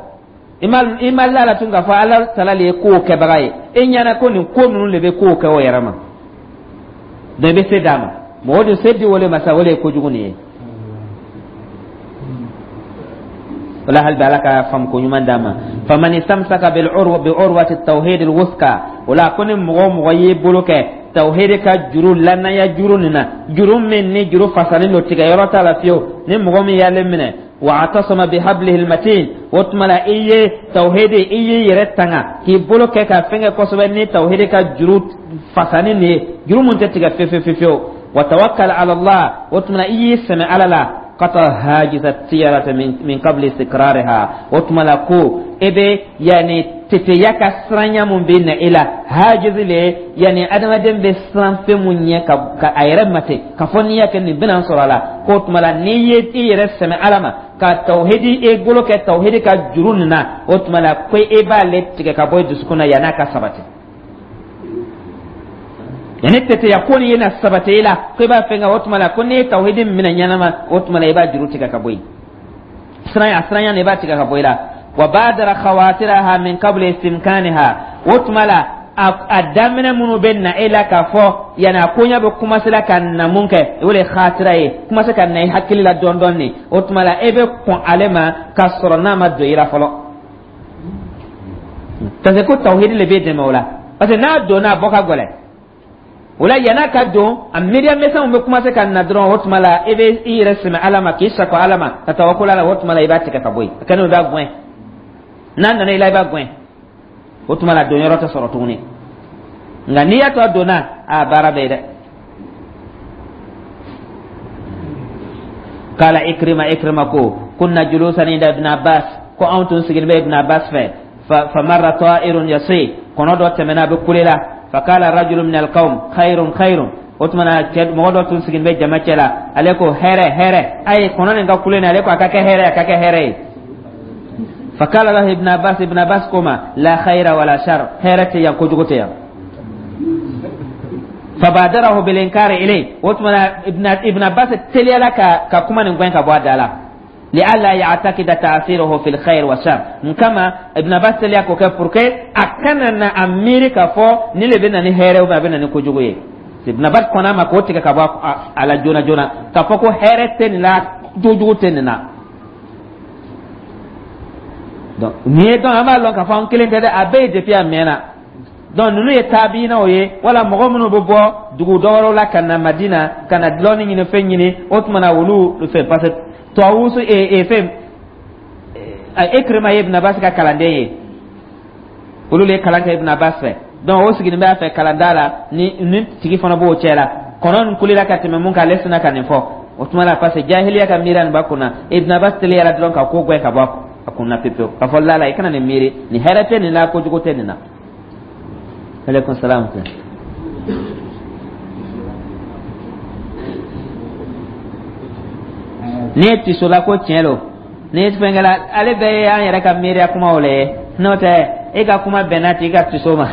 i ma la la tun k'a fɔ Ala tala le ye kow kɛbaga ye. E ɲɛna ko nin ko ninnu de bɛ kow kɛ o yɛrɛ ma. Donc i bɛ se d'a ma. Mɔgɔ dun se di o le ma sa, o le ye kojugu nin ye. O la, hali bi Ala ka faamu ko ɲuman d'a ma. Faman istamsaka bil urwa bi urwati tawhid al wuthqa, o la ko ni mɔgɔ o mɔgɔ y'i bolo kɛ tawhid ka juru, lanaya juru nin na, juru min ni juru fasalen don, tigɛ yɔrɔ t'a la fiyewu, ni mɔgɔ min y'ale minɛ, wa atasama bi hablihi almatin, o tuma la i ye tawhid, i y'i yɛrɛ tanga k'i bolo kɛ ka fɛn kɛ kosɛbɛ ni tawhid ka juru fasani nin ye, juru mun tɛ tigɛ fewu fewu fewu, wa tawakkal ala Allah, o tuma la i y'i sɛmɛ Ala la, qata hajisa tiyarata min qabli istiqrariha, o tuma la ko e bɛ yani teteya ka siranya mun bɛ na e la. Hajizi le, yani adamaden bɛ siran fɛn mun ɲɛ ka a yɛrɛ mate ka fɔ n'i y'a kɛ nin bɛna sɔrɔ a la, k'o tuma la n'i ye i yɛrɛ sɛmɛ Ala ma ka tawhidi, e bolo kɛ tawhidi ka juru nin na, o tuma la ko e b'ale tigɛ ka bɔ i dusukun na yann'a ka sabati. Yani teteya ko ni na sabati i la ko i b'a fɛn kɛ, o tuma la ko n'i ye tawhidi minɛ ɲɛnama, o tuma la i b'a juru tigɛ ka bɔ yen. Siranya, siranya nin, i b'a tigɛ ka bɔ i la. Wa badara khawatiraha min qabli istimkaniha, o tuma la a daminɛ minnu bɛ na e la k'a fɔ yanni a koɲɛ bɛ commencer la ka na mun kɛ, o de ye khatira ye, commencer ka na i hakili la dɔɔni dɔɔni, o tuma la e bɛ kɔn ale ma k'a sɔrɔ n'a ma don i la fɔlɔ, parce que ko tawhidi le b'e dɛmɛ o la, parce que n'a donna, a bɔ ka gɛlɛn. O la, yann'a ka don, a miiriya misɛnw bɛ commencer ka na dɔrɔn, o tuma la e bɛ i yɛrɛ sɛmɛ Ala ma, k'i sago Ala ma, ka tawakul ala, o tuma la i b'a tigɛ ka bɔ yen. A kɛnɛ, i b'a gɛn. N'a nana i la, i b'a gɛn. O tuma la don yɔrɔ tɛ sɔrɔ tuguni. Nka n'i y'a to a donna, a baara bɛ yen dɛ. Kala Ikrima, Ikrima ko kunna julusan inda Ibn Abbas, ko anw tun sigilen bɛ Ibn Abbas fɛ, fa marra ta'irun yasi, kɔnɔ dɔ tɛmɛna, a bɛ kule la. Fa qala rajulun min alqawm khairun khairun, o tuma na cɛ mɔgɔ dɔ tun sigilen bɛ jama cɛ la, ale ko hɛrɛ hɛrɛ. A ye kɔnɔ nin ka kule nin, ale ko a ka kɛ hɛrɛ, a ka kɛ hɛrɛ ye. Fa qala lahu Ibn Abbas, Ibn Abbas ko ma la khaira wala shar, hɛrɛ tɛ yan, kojugu tɛ yan. Fabadarahu bil inkari ilay, o tuma na Ibn Abbas teliyala ka kuma nin gɛn ka bɔ a da la, li'alla ya'taqida ta'thiruhu fil khair wa shar. Mun kama Ibn Abbas teliya k'o kɛ? Pour que a kana na a miiri k'a fɔ ni le bɛ na ni hɛrɛ ou bien a bɛ na ni kojugu ye. Ibn Abbas kɔnna a ma k'o tigɛ ka bɔ a la joona joona, k'a fɔ ko hɛrɛ tɛ nin la, kojugu tɛ nin na. Donc nin ye, donc an b'a lɔn k'a fɔ an kelen tɛ dɛ, a bɛɛ ye depuis a mɛnna. Donc ninnu ye taabinaw ye, wala mɔgɔ minnu bɛ bɔ dugu dɔwɛrɛw la ka na Madina ka na dɔɔni ɲini, fɛn ɲini, o tuma na olu fɛ, parce que Tawusu e fɛn Ikrima ye Ibn Abbas ka kalanden ye, olu le ye kalan kɛ Ibn Abbas fɛ. Donc o sigilen bɛ a fɛ kalanda la, ni tigi fana b'o cɛ la. Kɔnɔ nin kulela ka tɛmɛ mun kan, ale sina ka nin fɔ. O tuma la, parce que jahiliya ka miiriya nin b'a kunna, Ibn Abbas teliyara dɔrɔn ka ko gɛn ka bɔ a kunna pepewu, k'a fɔ lala i kana nin miiri, nin hɛrɛ tɛ nin la, kojugu tɛ nin na. Aleykum salaam. N'i ye tisola ko tiɲɛ don, n'i ye fɛn kɛla, ale bɛɛ ye an yɛrɛ ka miiriya kumaw le ye. N'o tɛ, e ka kuma bɛnna t'i ka tiso ma,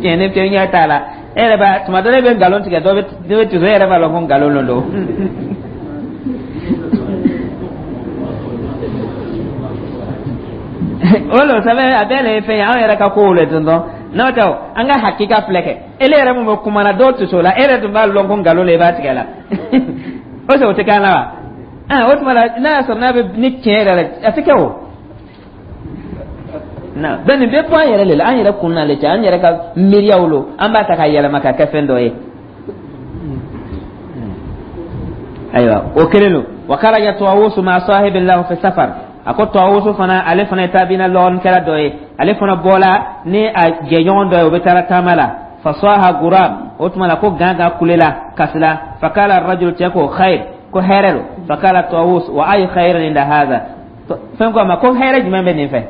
tiɲɛ ni fɛn ɲɛ t'a la. E yɛrɛ b'a tuma dɔ la, e bɛ nkalon tigɛ, dɔ bɛ tiso, e yɛrɛ b'a lɔn ko nkalon lo don. O lo sɛbɛn, a bɛɛ le ye fɛn ye, anw yɛrɛ ka kow le dɔn. N'o tɛ, an ka hakika filɛ kɛ, ele yɛrɛ mun bɛ kuma na, dɔw tiso la, e yɛrɛ tun b'a lɔn ko nkalon le i b'a tigɛ la. O sɛ o tɛ k'an la wa? Ah, o tuma la n'a y'a sɔrɔ n'a bɛ ni tiɲɛ yɛrɛ la, a tɛ kɛ o na. Donc nin bɛɛ bɔ an yɛrɛ de la, an yɛrɛ kun na le cɛ, an yɛrɛ ka miiriyaw lo, an b'a ta ka yɛlɛma ka kɛ fɛn dɔ ye. Ayiwa, o kelen don. Wa kharaja Tawusu ma sahibin lahu fi safar, a ko Tawusu fana, ale fana ye taabina lɔgɔnikɛla dɔ ye, ale fana bɔla ni a jɛɲɔgɔn dɔ ye, o bɛ taara taama la. Fasaha gurab, o tuma la ko gangan kulela, kasila. Fakala rajul, cɛ ko khair, ko hɛrɛ lo. Fakala Tawus wa ayu khairin inda hadha, fɛn ko a ma ko hɛrɛ jumɛn bɛ nin fɛ?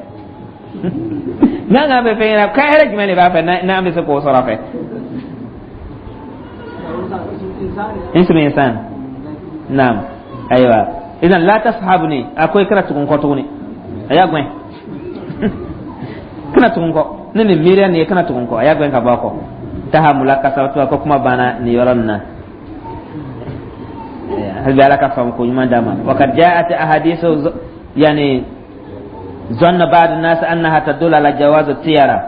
Gangan bɛ fɛn ɲɛna ko hɛrɛ jumɛn de b'a fɛ n'an bɛ se k'o sɔrɔ a fɛ? Ismu insan. Naam. Ayiwa. Idan la tashabuni a ko i kana tugu n kɔ tuguni. A y'a gɛn. Kana tugu n kɔ. Ne nin miiriya nin ye kana tugu n kɔ. A y'a gɛn ka bɔ a kɔ. Taha mulakasa to ko kuma banna nin yɔrɔ nin na. Hali bi Ala ka faamu ko ɲuman d'a ma. Wa kad ja'at ahadithu yani zanna ba'd an-nas annaha tadullu ala jawaz at-tiyara.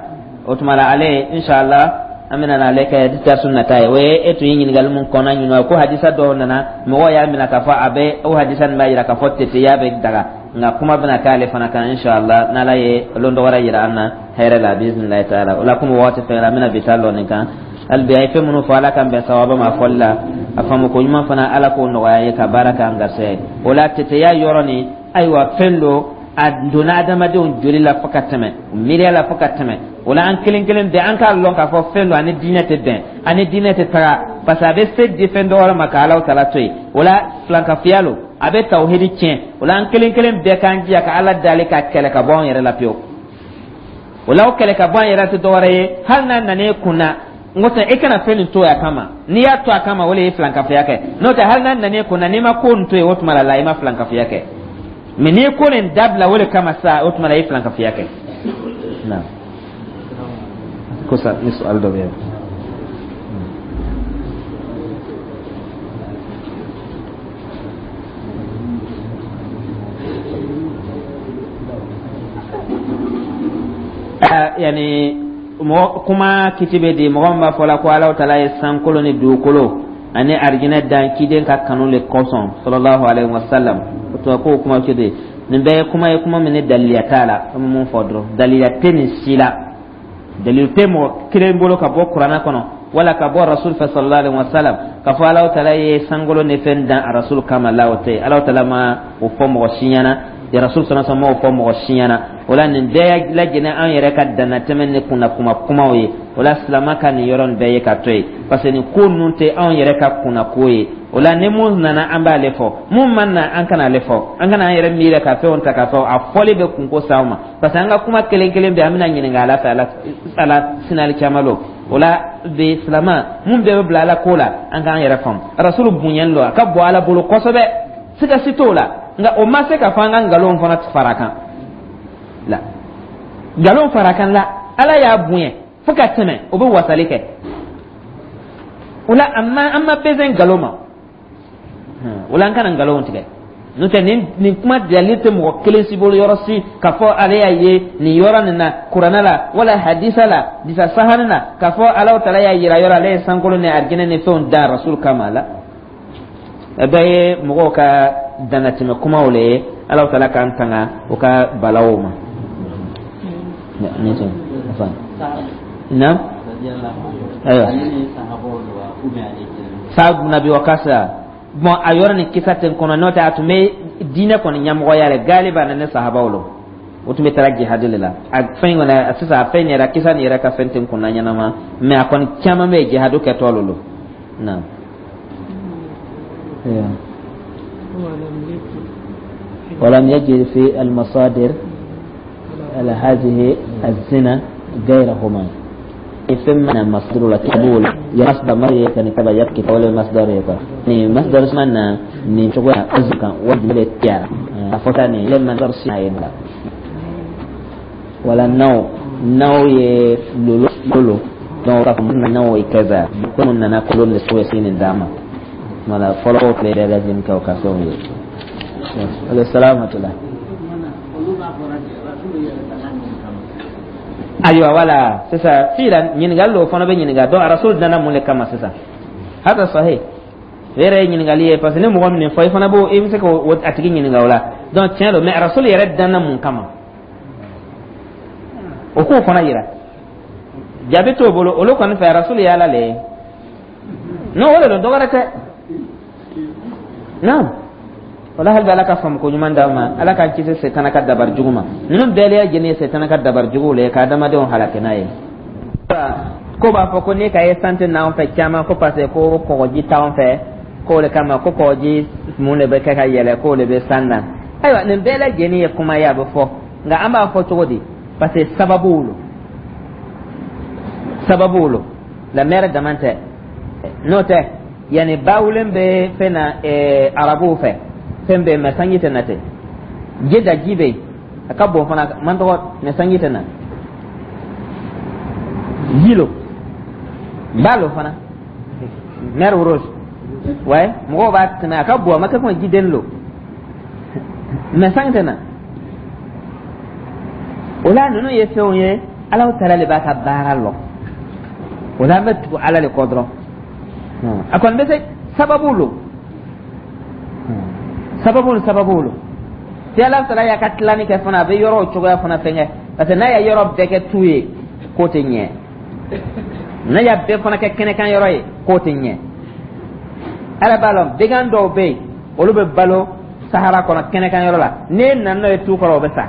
O tuma la ale inshallah an bɛna n'ale kɛ darsu nata ye. O ye e tun ye ɲininkali mun kɔnna ɲininka ko hadisa dɔw nana mɔgɔw y'a minɛ k'a fɔ a bɛ o hadisa nin b'a yira k'a fɔ teteya bɛ daga nka kuma bɛna k'ale fana kan inshallah n'ala ye lon dɔ wɛrɛ yira an na hɛrɛ la biiznillahi taala. O la komi waati fɛngɛra an bɛna bi ta lɔ nin kan. Hali bi a ye fɛn minnu fɔ Ala k'an bɛn sawaba ma fɔli la a faamu ko ɲuman fana Ala k'o nɔgɔya an ye ka baara k'an garisɛgɛ o la teteya yɔrɔ nin ayiwa fɛn don a donna adamadenw joli la fo ka tɛmɛ miiriya la fo ka tɛmɛ o la an kelen kelen bɛɛ an k'a lɔn k'a fɔ fɛn don ani diinɛ tɛ bɛn ani diinɛ tɛ taga parce que a bɛ se di fɛn dɔ wɛrɛ ma ka Alahu taala to yen o la filankafoya lo a bɛ tawhidi tiɲɛ o la an kelen kelen bɛɛ k'an jija ka Ala dali ka kɛlɛ ka bɔ an yɛrɛ la pewu o la o kɛlɛ ka bɔ an yɛrɛ tɛ dɔwɛrɛ ye hali n'a nana e kun na n ko tɛ e kana fɛn nin to yen a kama n'i y'a to a kama o de ye filankafoya kɛ n'o tɛ hali n'a nana e kun na n'i ma ko nin to yen o tuma la i ma filankafoya kɛ mɛ n'i ye ko nin dabila o de kama sa o tuma la i ye filankafoya kɛ. Naam. Ko sa ni su'al dɔ bɛ yen. Yani mɔgɔ kuma kiti bɛ di mɔgɔ min b'a fɔ la ko Alahu taala ye sankolo ni dugukolo ani arijinɛ dan ciden ka kanu le kosɔn sallallahu alaihi wasallam o tuma k'o kuma kiti nin bɛɛ ye kuma ye kuma min ni daliliya t'a la an bɛ mun fɔ dɔrɔn daliliya tɛ nin si la dalilu tɛ mɔgɔ kelen bolo ka bɔ kuranɛ kɔnɔ wala ka bɔ rasul fɛ sallallahu alaihi wasallam k'a fɔ Alahu taala ye sankolo ni fɛn dan a rasul kama la o tɛ Alahu taala ma o fɔ mɔgɔ si ɲɛna ya rasul sallallahu alaihi wasallam ma o fɔ mɔgɔ si ɲɛna o la nin bɛɛ lajɛlen an yɛrɛ ka dannatɛmɛ ni kunna kuma kumaw ye o la silama ka nin yɔrɔ nin bɛɛ ye ka to yen parce que nin ko ninnu tɛ anw yɛrɛ ka kunna ko ye o la ni mun nana an b'ale fɔ mun ma na an kana ale fɔ an kana an yɛrɛ miiri ka fɛnw ta ka fɔ a fɔli bɛ kunko s'anw ma parce que an ka kuma kelen kelen bɛɛ an bɛna ɲininka ala fɛ ala ala sinali caman lo o la bi silama mun bɛɛ bɛ bila ala ko la an k'an yɛrɛ faamu rasulu bonyalen don a ka bon ala bolo kosɛbɛ siga si t'o la nka o ma se ka fɔ an ka nkalon fana fara kan la nkalon fara kan la ala y'a bonya fo ka tɛmɛ o bɛ wasali kɛ o la an ma an ma besoin nkalon ma o la an kana nkalon tigɛ n'o tɛ nin nin kuma dalili tɛ mɔgɔ kelen si bolo yɔrɔ si k'a fɔ ale y'a ye nin yɔrɔ nin na kuranɛ la wala hadisa la hadisa sahani na k'a fɔ Alahu taala y'a yira yɔrɔ ale ye sankolo ni arijinɛ ni fɛnw dan rasul kama la a bɛɛ ye mɔgɔw ka dannatɛmɛ kumaw le ye Alahu taala k'an tanga o ka balaw ma. Naam. Ayiwa. Saad ibn Abi Waqqas bon a yɔrɔ nin kisa tɛ n kɔnɔ n'o tɛ a tun bɛ diinɛ kɔni ɲɛmɔgɔya la galiba na ne sahabaw lo o tun bɛ taara jihadi de la a fɛn kɔni sisan a fɛn yɛrɛ kisa nin yɛrɛ ka fɛn tɛ n kunna ɲɛnama mais a kɔni caman bɛ yen jihadu kɛtɔ lo naam. ولم يجد في المصادر على هذه الزنا غيرهما ثم مصدر القبول يا مصدر ما كان كبا يبكي ولا مصدر يقع ni masdar mana ni cogo azka wa ya afotani lemma darsi ayla wala naw naw ye lolo lolo donc ka fɔ naw kaza ko mun nana kolon de so sinin dama wala fɔlɔ ko le lajin ka ka fɛnw ye wala salamatullah ayiwa wala sisan filan ɲininkali dɔw fana bɛ ɲininka donc rasul nana mun de kama sisan hada sahih o yɛrɛ ye ɲininkali ye parce que ni mɔgɔ min fɔ i fana b'o i bɛ se k'o a tigi ɲininka o la donc tiɲɛ don mais rasul yɛrɛ danna mun kama o k'o fana yira jaabi t'o bolo olu kɔni fɛ rasul ye ala le ye non o de don dɔwɛrɛ tɛ naam wala hali ala ka faamu ko ɲuman d'aw ma ala k'an kisi setana ka dabari jugu ma ninnu bɛɛ lajɛlen ye setana ka dabari juguw le ye ka adamadenw halaki n'a ye ko b'a fɔ ko ne ka ye san tɛ n'anw fɛ caman ko parce que ko kɔgɔji t'anw fɛ k'o de kama ko kɔgɔji mun de bɛ kɛ ka yɛlɛ k'o de bɛ san na ayiwa nin bɛɛ lajɛlen ye kuma ye a bɛ fɔ nka an b'a fɔ cogo di parce que sababuw lo sababuw lo la mer dama tɛ n'o tɛ Yanni bawulen bɛ fɛn na arabuw fɛ, fɛn bɛ yen, mais sanji tɛ na ten. Jeda ji bɛ yen, a ka bon fana, man tɔgɔ, mais sanji tɛ na. Ji lo, ba lo fana, Mer Rouge, ouais. Mɔgɔw b'a tɛmɛ, a ka bon, a ma kɛ komi jiden lo, mais sanji tɛ na. O la, ninnu ye fɛnw ye, Alahu Taala de b'a ka baara lɔn. O la, an bɛ tugu Ala de kɔ dɔrɔn. A kɔni bɛ se sababu lo, sababu ni sababu lo. Ti Ala Taala y'a ka tilani kɛ fana, a bɛ yɔrɔw cogoya fana fɛnkɛ, parce que n'a ye yɔrɔ bɛɛ kɛ tu ye, k'o tɛ ɲɛ. N'a y'a bɛɛ fana kɛ kɛnɛkan yɔrɔ ye, k'o tɛ ɲɛ. Ala b'a lɔn, bagan dɔw bɛ yen, olu bɛ balo sahara kɔnɔ, kɛnɛkan yɔrɔ la. N'e nana n'o ye tu kɔrɔ, o bɛ sa.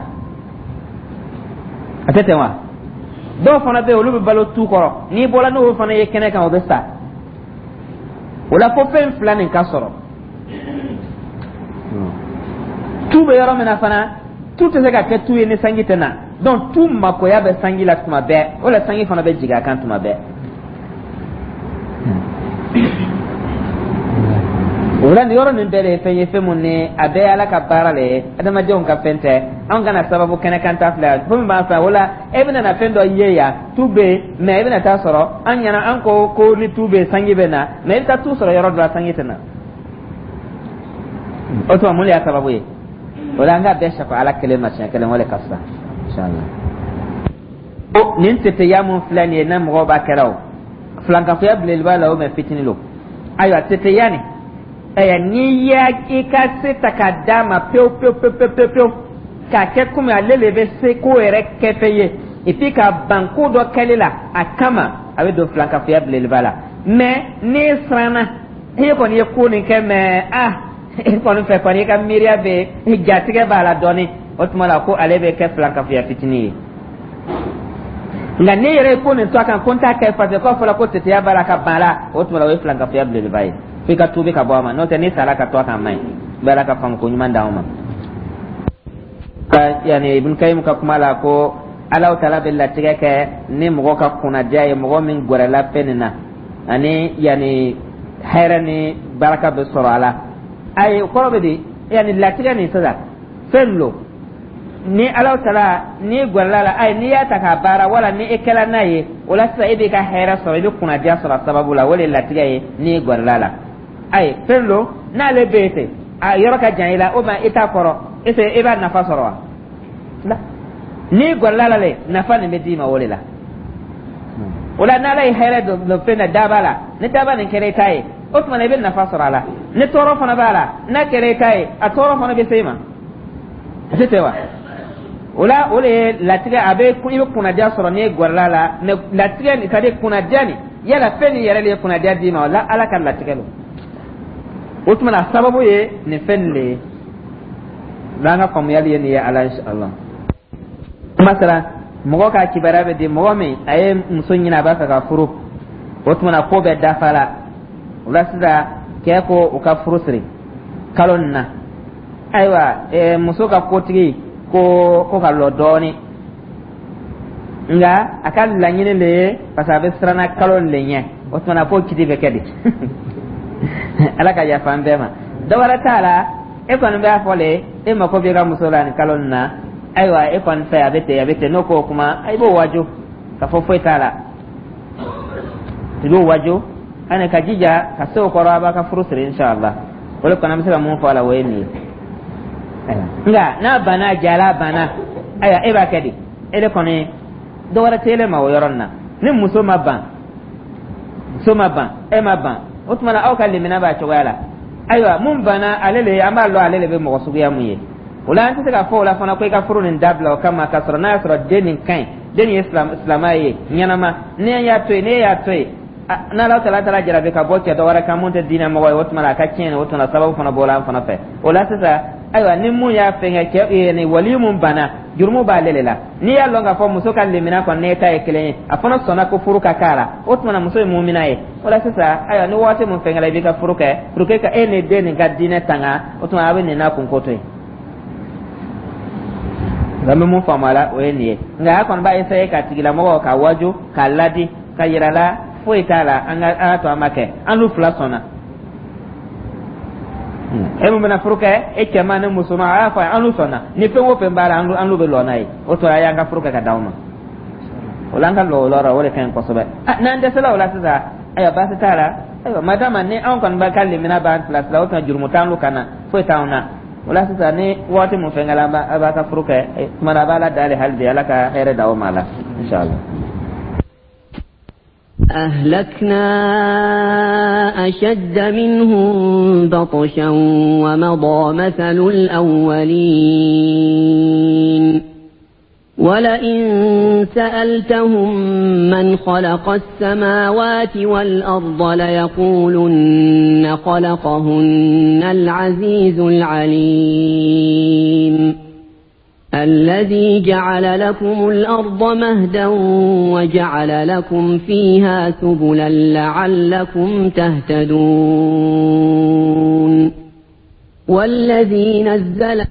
A tɛ ten wa? Dɔw fana bɛ yen, olu bɛ balo tu kɔrɔ, n'i bɔra n'o fana ye kɛnɛ kan, o bɛ sa. O la, fo fɛn fila nin ka sɔrɔ. Tu bɛ yɔrɔ min na fana, tu tɛ se ka kɛ tu ye ni sanji tɛ na. Donc tu makoya bɛ sanji la tuma bɛɛ. O la, sanji fana bɛ jigin a kan tuma bɛɛ. O la, nin yɔrɔ nin bɛɛ de ye fɛn ye, fɛn mun ni a bɛɛ ye Ala ka baara le ye, adamadenw ka fɛn tɛ. Anw kana sababu kɛnɛ kan ta filɛ fɛn min b'an fɛ. O la, e bɛna na fɛn dɔ ye yan, tu bɛ yen, mais e bɛna taa sɔrɔ an ɲɛna, an ko ko ni tu bɛ yen, sanji bɛ na, mais i bɛ taa tu sɔrɔ yɔrɔ dɔ la, sanji tɛ na. O tuma, mun de y'a sababu ye? O la, an ka bɛɛ safa Ala kelen ma siɲɛ kelen, o de ka fisa, inshallah. Ko nin teteya mun filɛ nin ye, n'a mɔgɔw b'a kɛra, o filankafoya belebeleba la o, mais fitinin lo. Ayiwa, teteya nin, ayiwa, n'i y'a i ka se ta k'a d'a ma pewu pewu pewu pewu pewu, k'a kɛ komi ale le bɛ se ko yɛrɛ kɛfɛn ye, et puis ka ban ko dɔ kɛli la a kama, a bɛ don filankafoya belebeleba la. Mais n'e siranna, e kɔni ye ko nin kɛ, mais ah, e kɔni fɛ kɔni, i ka miiriya bɛ jatigɛ b'a la dɔɔni, o tuma la ko ale bɛ kɛ filankafoya fitinin ye. Nka n'e yɛrɛ ye ko nin to a kan ko n t'a kɛ parce que k'a fɔra ko teteya b'a la, ka ban a la, o tuma la o ye filankafoya belebeleba ye, f'i ka tuubi ka bɔ a ma. N'o tɛ, n'i sara ka to a kan, a man ɲi. Bɛ Ala ka faamu ko ɲuman d'anw ma. Yani Ibn Kayim ka kuma la ko Ala Taala bɛ latigɛ kɛ ni mɔgɔ ka kunnadiya ye, mɔgɔ min gɛrɛla fɛn nin na, ani yani hɛrɛ ni baraka bɛ sɔrɔ a la. Ayi, o kɔrɔ bɛ di? Yani latigɛ nin sisan, fɛn lo ni Ala Taala n'i gɛrɛla la, ayi, n'i y'a ta k'a baara wala ni e kɛla n'a ye, o la sisan e b'i ka hɛrɛ sɔrɔ, i bɛ kunnadiya sɔrɔ a sababu la. O de ye latigɛ ye n'i gɛrɛla la. Ayi, fɛn lo n'ale bɛ yen ten, a yɔrɔ ka jan i la, o ma i t'a kɔrɔ, e tɛ e b'a nafa sɔrɔ wa? La, n'i gɛrɛla la le, nafa nin bɛ d'i ma o de la. O la, n'Ala ye hɛrɛ don fɛn na, daba la, ni daba nin kɛra i ta ye, o tuma na i bɛ nafa sɔrɔ a la. Ni tɔɔrɔ fana b'a la, n'a kɛra i ta ye, a tɔɔrɔ fana bɛ se i ma. A tɛ ten wa? O la, o de ye latigɛ. A bɛ i bɛ kunnadiya sɔrɔ n'i gɛrɛla la, mais latigɛ nin, c'est à dire kunnadiya nin, yala fɛn nin yɛrɛ de ye kunnadiya d'i ma o la, Ala ka latigɛ don. O tuma na, sababu ye nin fɛn nin de ye. N'an ka faamuyali ye nin ye, ala inshallah. Masala, mɔgɔ ka kibaruya bɛ di mɔgɔ min a ye muso ɲini, a b'a fɛ ka furu, o tuma na ko bɛɛ dafa la. O la sisan, cɛ ko u ka furu siri kalo nin na. Ayiwa, muso ka kotigi ko ko ka lɔ dɔɔnin, nka a ka laɲini de ye, parce que a bɛ siranna kalo nin de ɲɛ. O tuma na ko kiti bɛ kɛ di? Ala ka yafa an bɛɛ ma. Dɔ wɛrɛ t'a la, e kɔni b'a fɔ le, e mako b'i ka muso la nin kalo nin na. Ayiwa, e kɔni fɛ, a bɛ ten, a bɛ ten. N'o ko o kuma, i b'o waaju ka fɔ foyi t'a la, i b'o waaju ani ka jija ka se o kɔrɔ, a b'a ka furu siri inshallah. O de kɔni, an bɛ se ka mun fɔ a la, o ye nin ye. Nka n'a banna, a jala, a banna, ayiwa, e b'a kɛ di? E de kɔni, dɔ wɛrɛ tɛ ele ma o yɔrɔ nin na. Ni muso ma ban, muso ma ban, e ma ban, o tuma na aw ka limina b'a cogoya la. Ayiwa, mun banna ale le, an b'a lɔn ale le bɛ mɔgɔ suguya mun ye. O la, an tɛ se k'a fɔ o la fana ko i ka furu nin dabila o kama, k'a sɔrɔ n'a y'a sɔrɔ den nin ka ɲi, den nin ye silamɛ ye ɲɛnama. Ni y'a to yen, n'e y'a to yen, n'Ala taala taara jarabi ka bɔ cɛ dɔ wɛrɛ kan mun tɛ diinɛ mɔgɔ ye, o tuma na a ka tiɲɛ, o tuma na sababu fana bɔra an fana fɛ. O la sisan, ayiwa, ni mun y'a fɛnkɛ cɛ ni wali mun banna, jurumu b'ale de la. N'i y'a lɔn k'a fɔ muso ka limina kɔni n'e ta ye kelen ye, a fana sɔnna ko furu ka k'a la, o tuma na muso ye mumina ye. O la sisan, ayiwa, ni waati mun fɛnkɛla, i b'i ka furu kɛ pour que ka e ni den nin ka diinɛ tanga. O tuma a bɛ nin n'a kunko to yen. Nka n bɛ mun faamu a la, o ye nin ye. Nka a kɔni b'a essayer ka tigilamɔgɔ ka waju, k'a ladi, ka yira la foyi t'a la, an ka ala to an ma kɛ, an n'u fila sɔnna. E mun bɛna furu kɛ, e cɛman ni musoman, a y'a fɔ an n'u sɔnna ni fɛn o fɛn b'a la, an n'u bɛ lɔ n'a ye. O tora a y'an ka furu kɛ ka d'aw ma. O la, an ka lɔ o yɔrɔ, o de ka ɲi kosɛbɛ. N'an dɛsɛla o la sisan, ayiwa, baasi t'a la. Ayiwa, madama ni anw kɔni b'a ka limina b'an bilasira, o tuma jurumu t'an kan na, foyi t'anw na. O la sisan, ni waati mun fɛn kɛla, a b'a ka furu kɛ tuma na, a b'a la dale hali bi, Ala ka hɛrɛ d'aw ma la, inshallah. أهلكنا أشد منهم بطشا ومضى مثل الأولين. ولئن سألتهم من خلق السماوات والأرض ليقولن خلقهن العزيز العليم. الذي جعل لكم الأرض مهدا وجعل لكم فيها سبلا لعلكم تهتدون. والذي نزل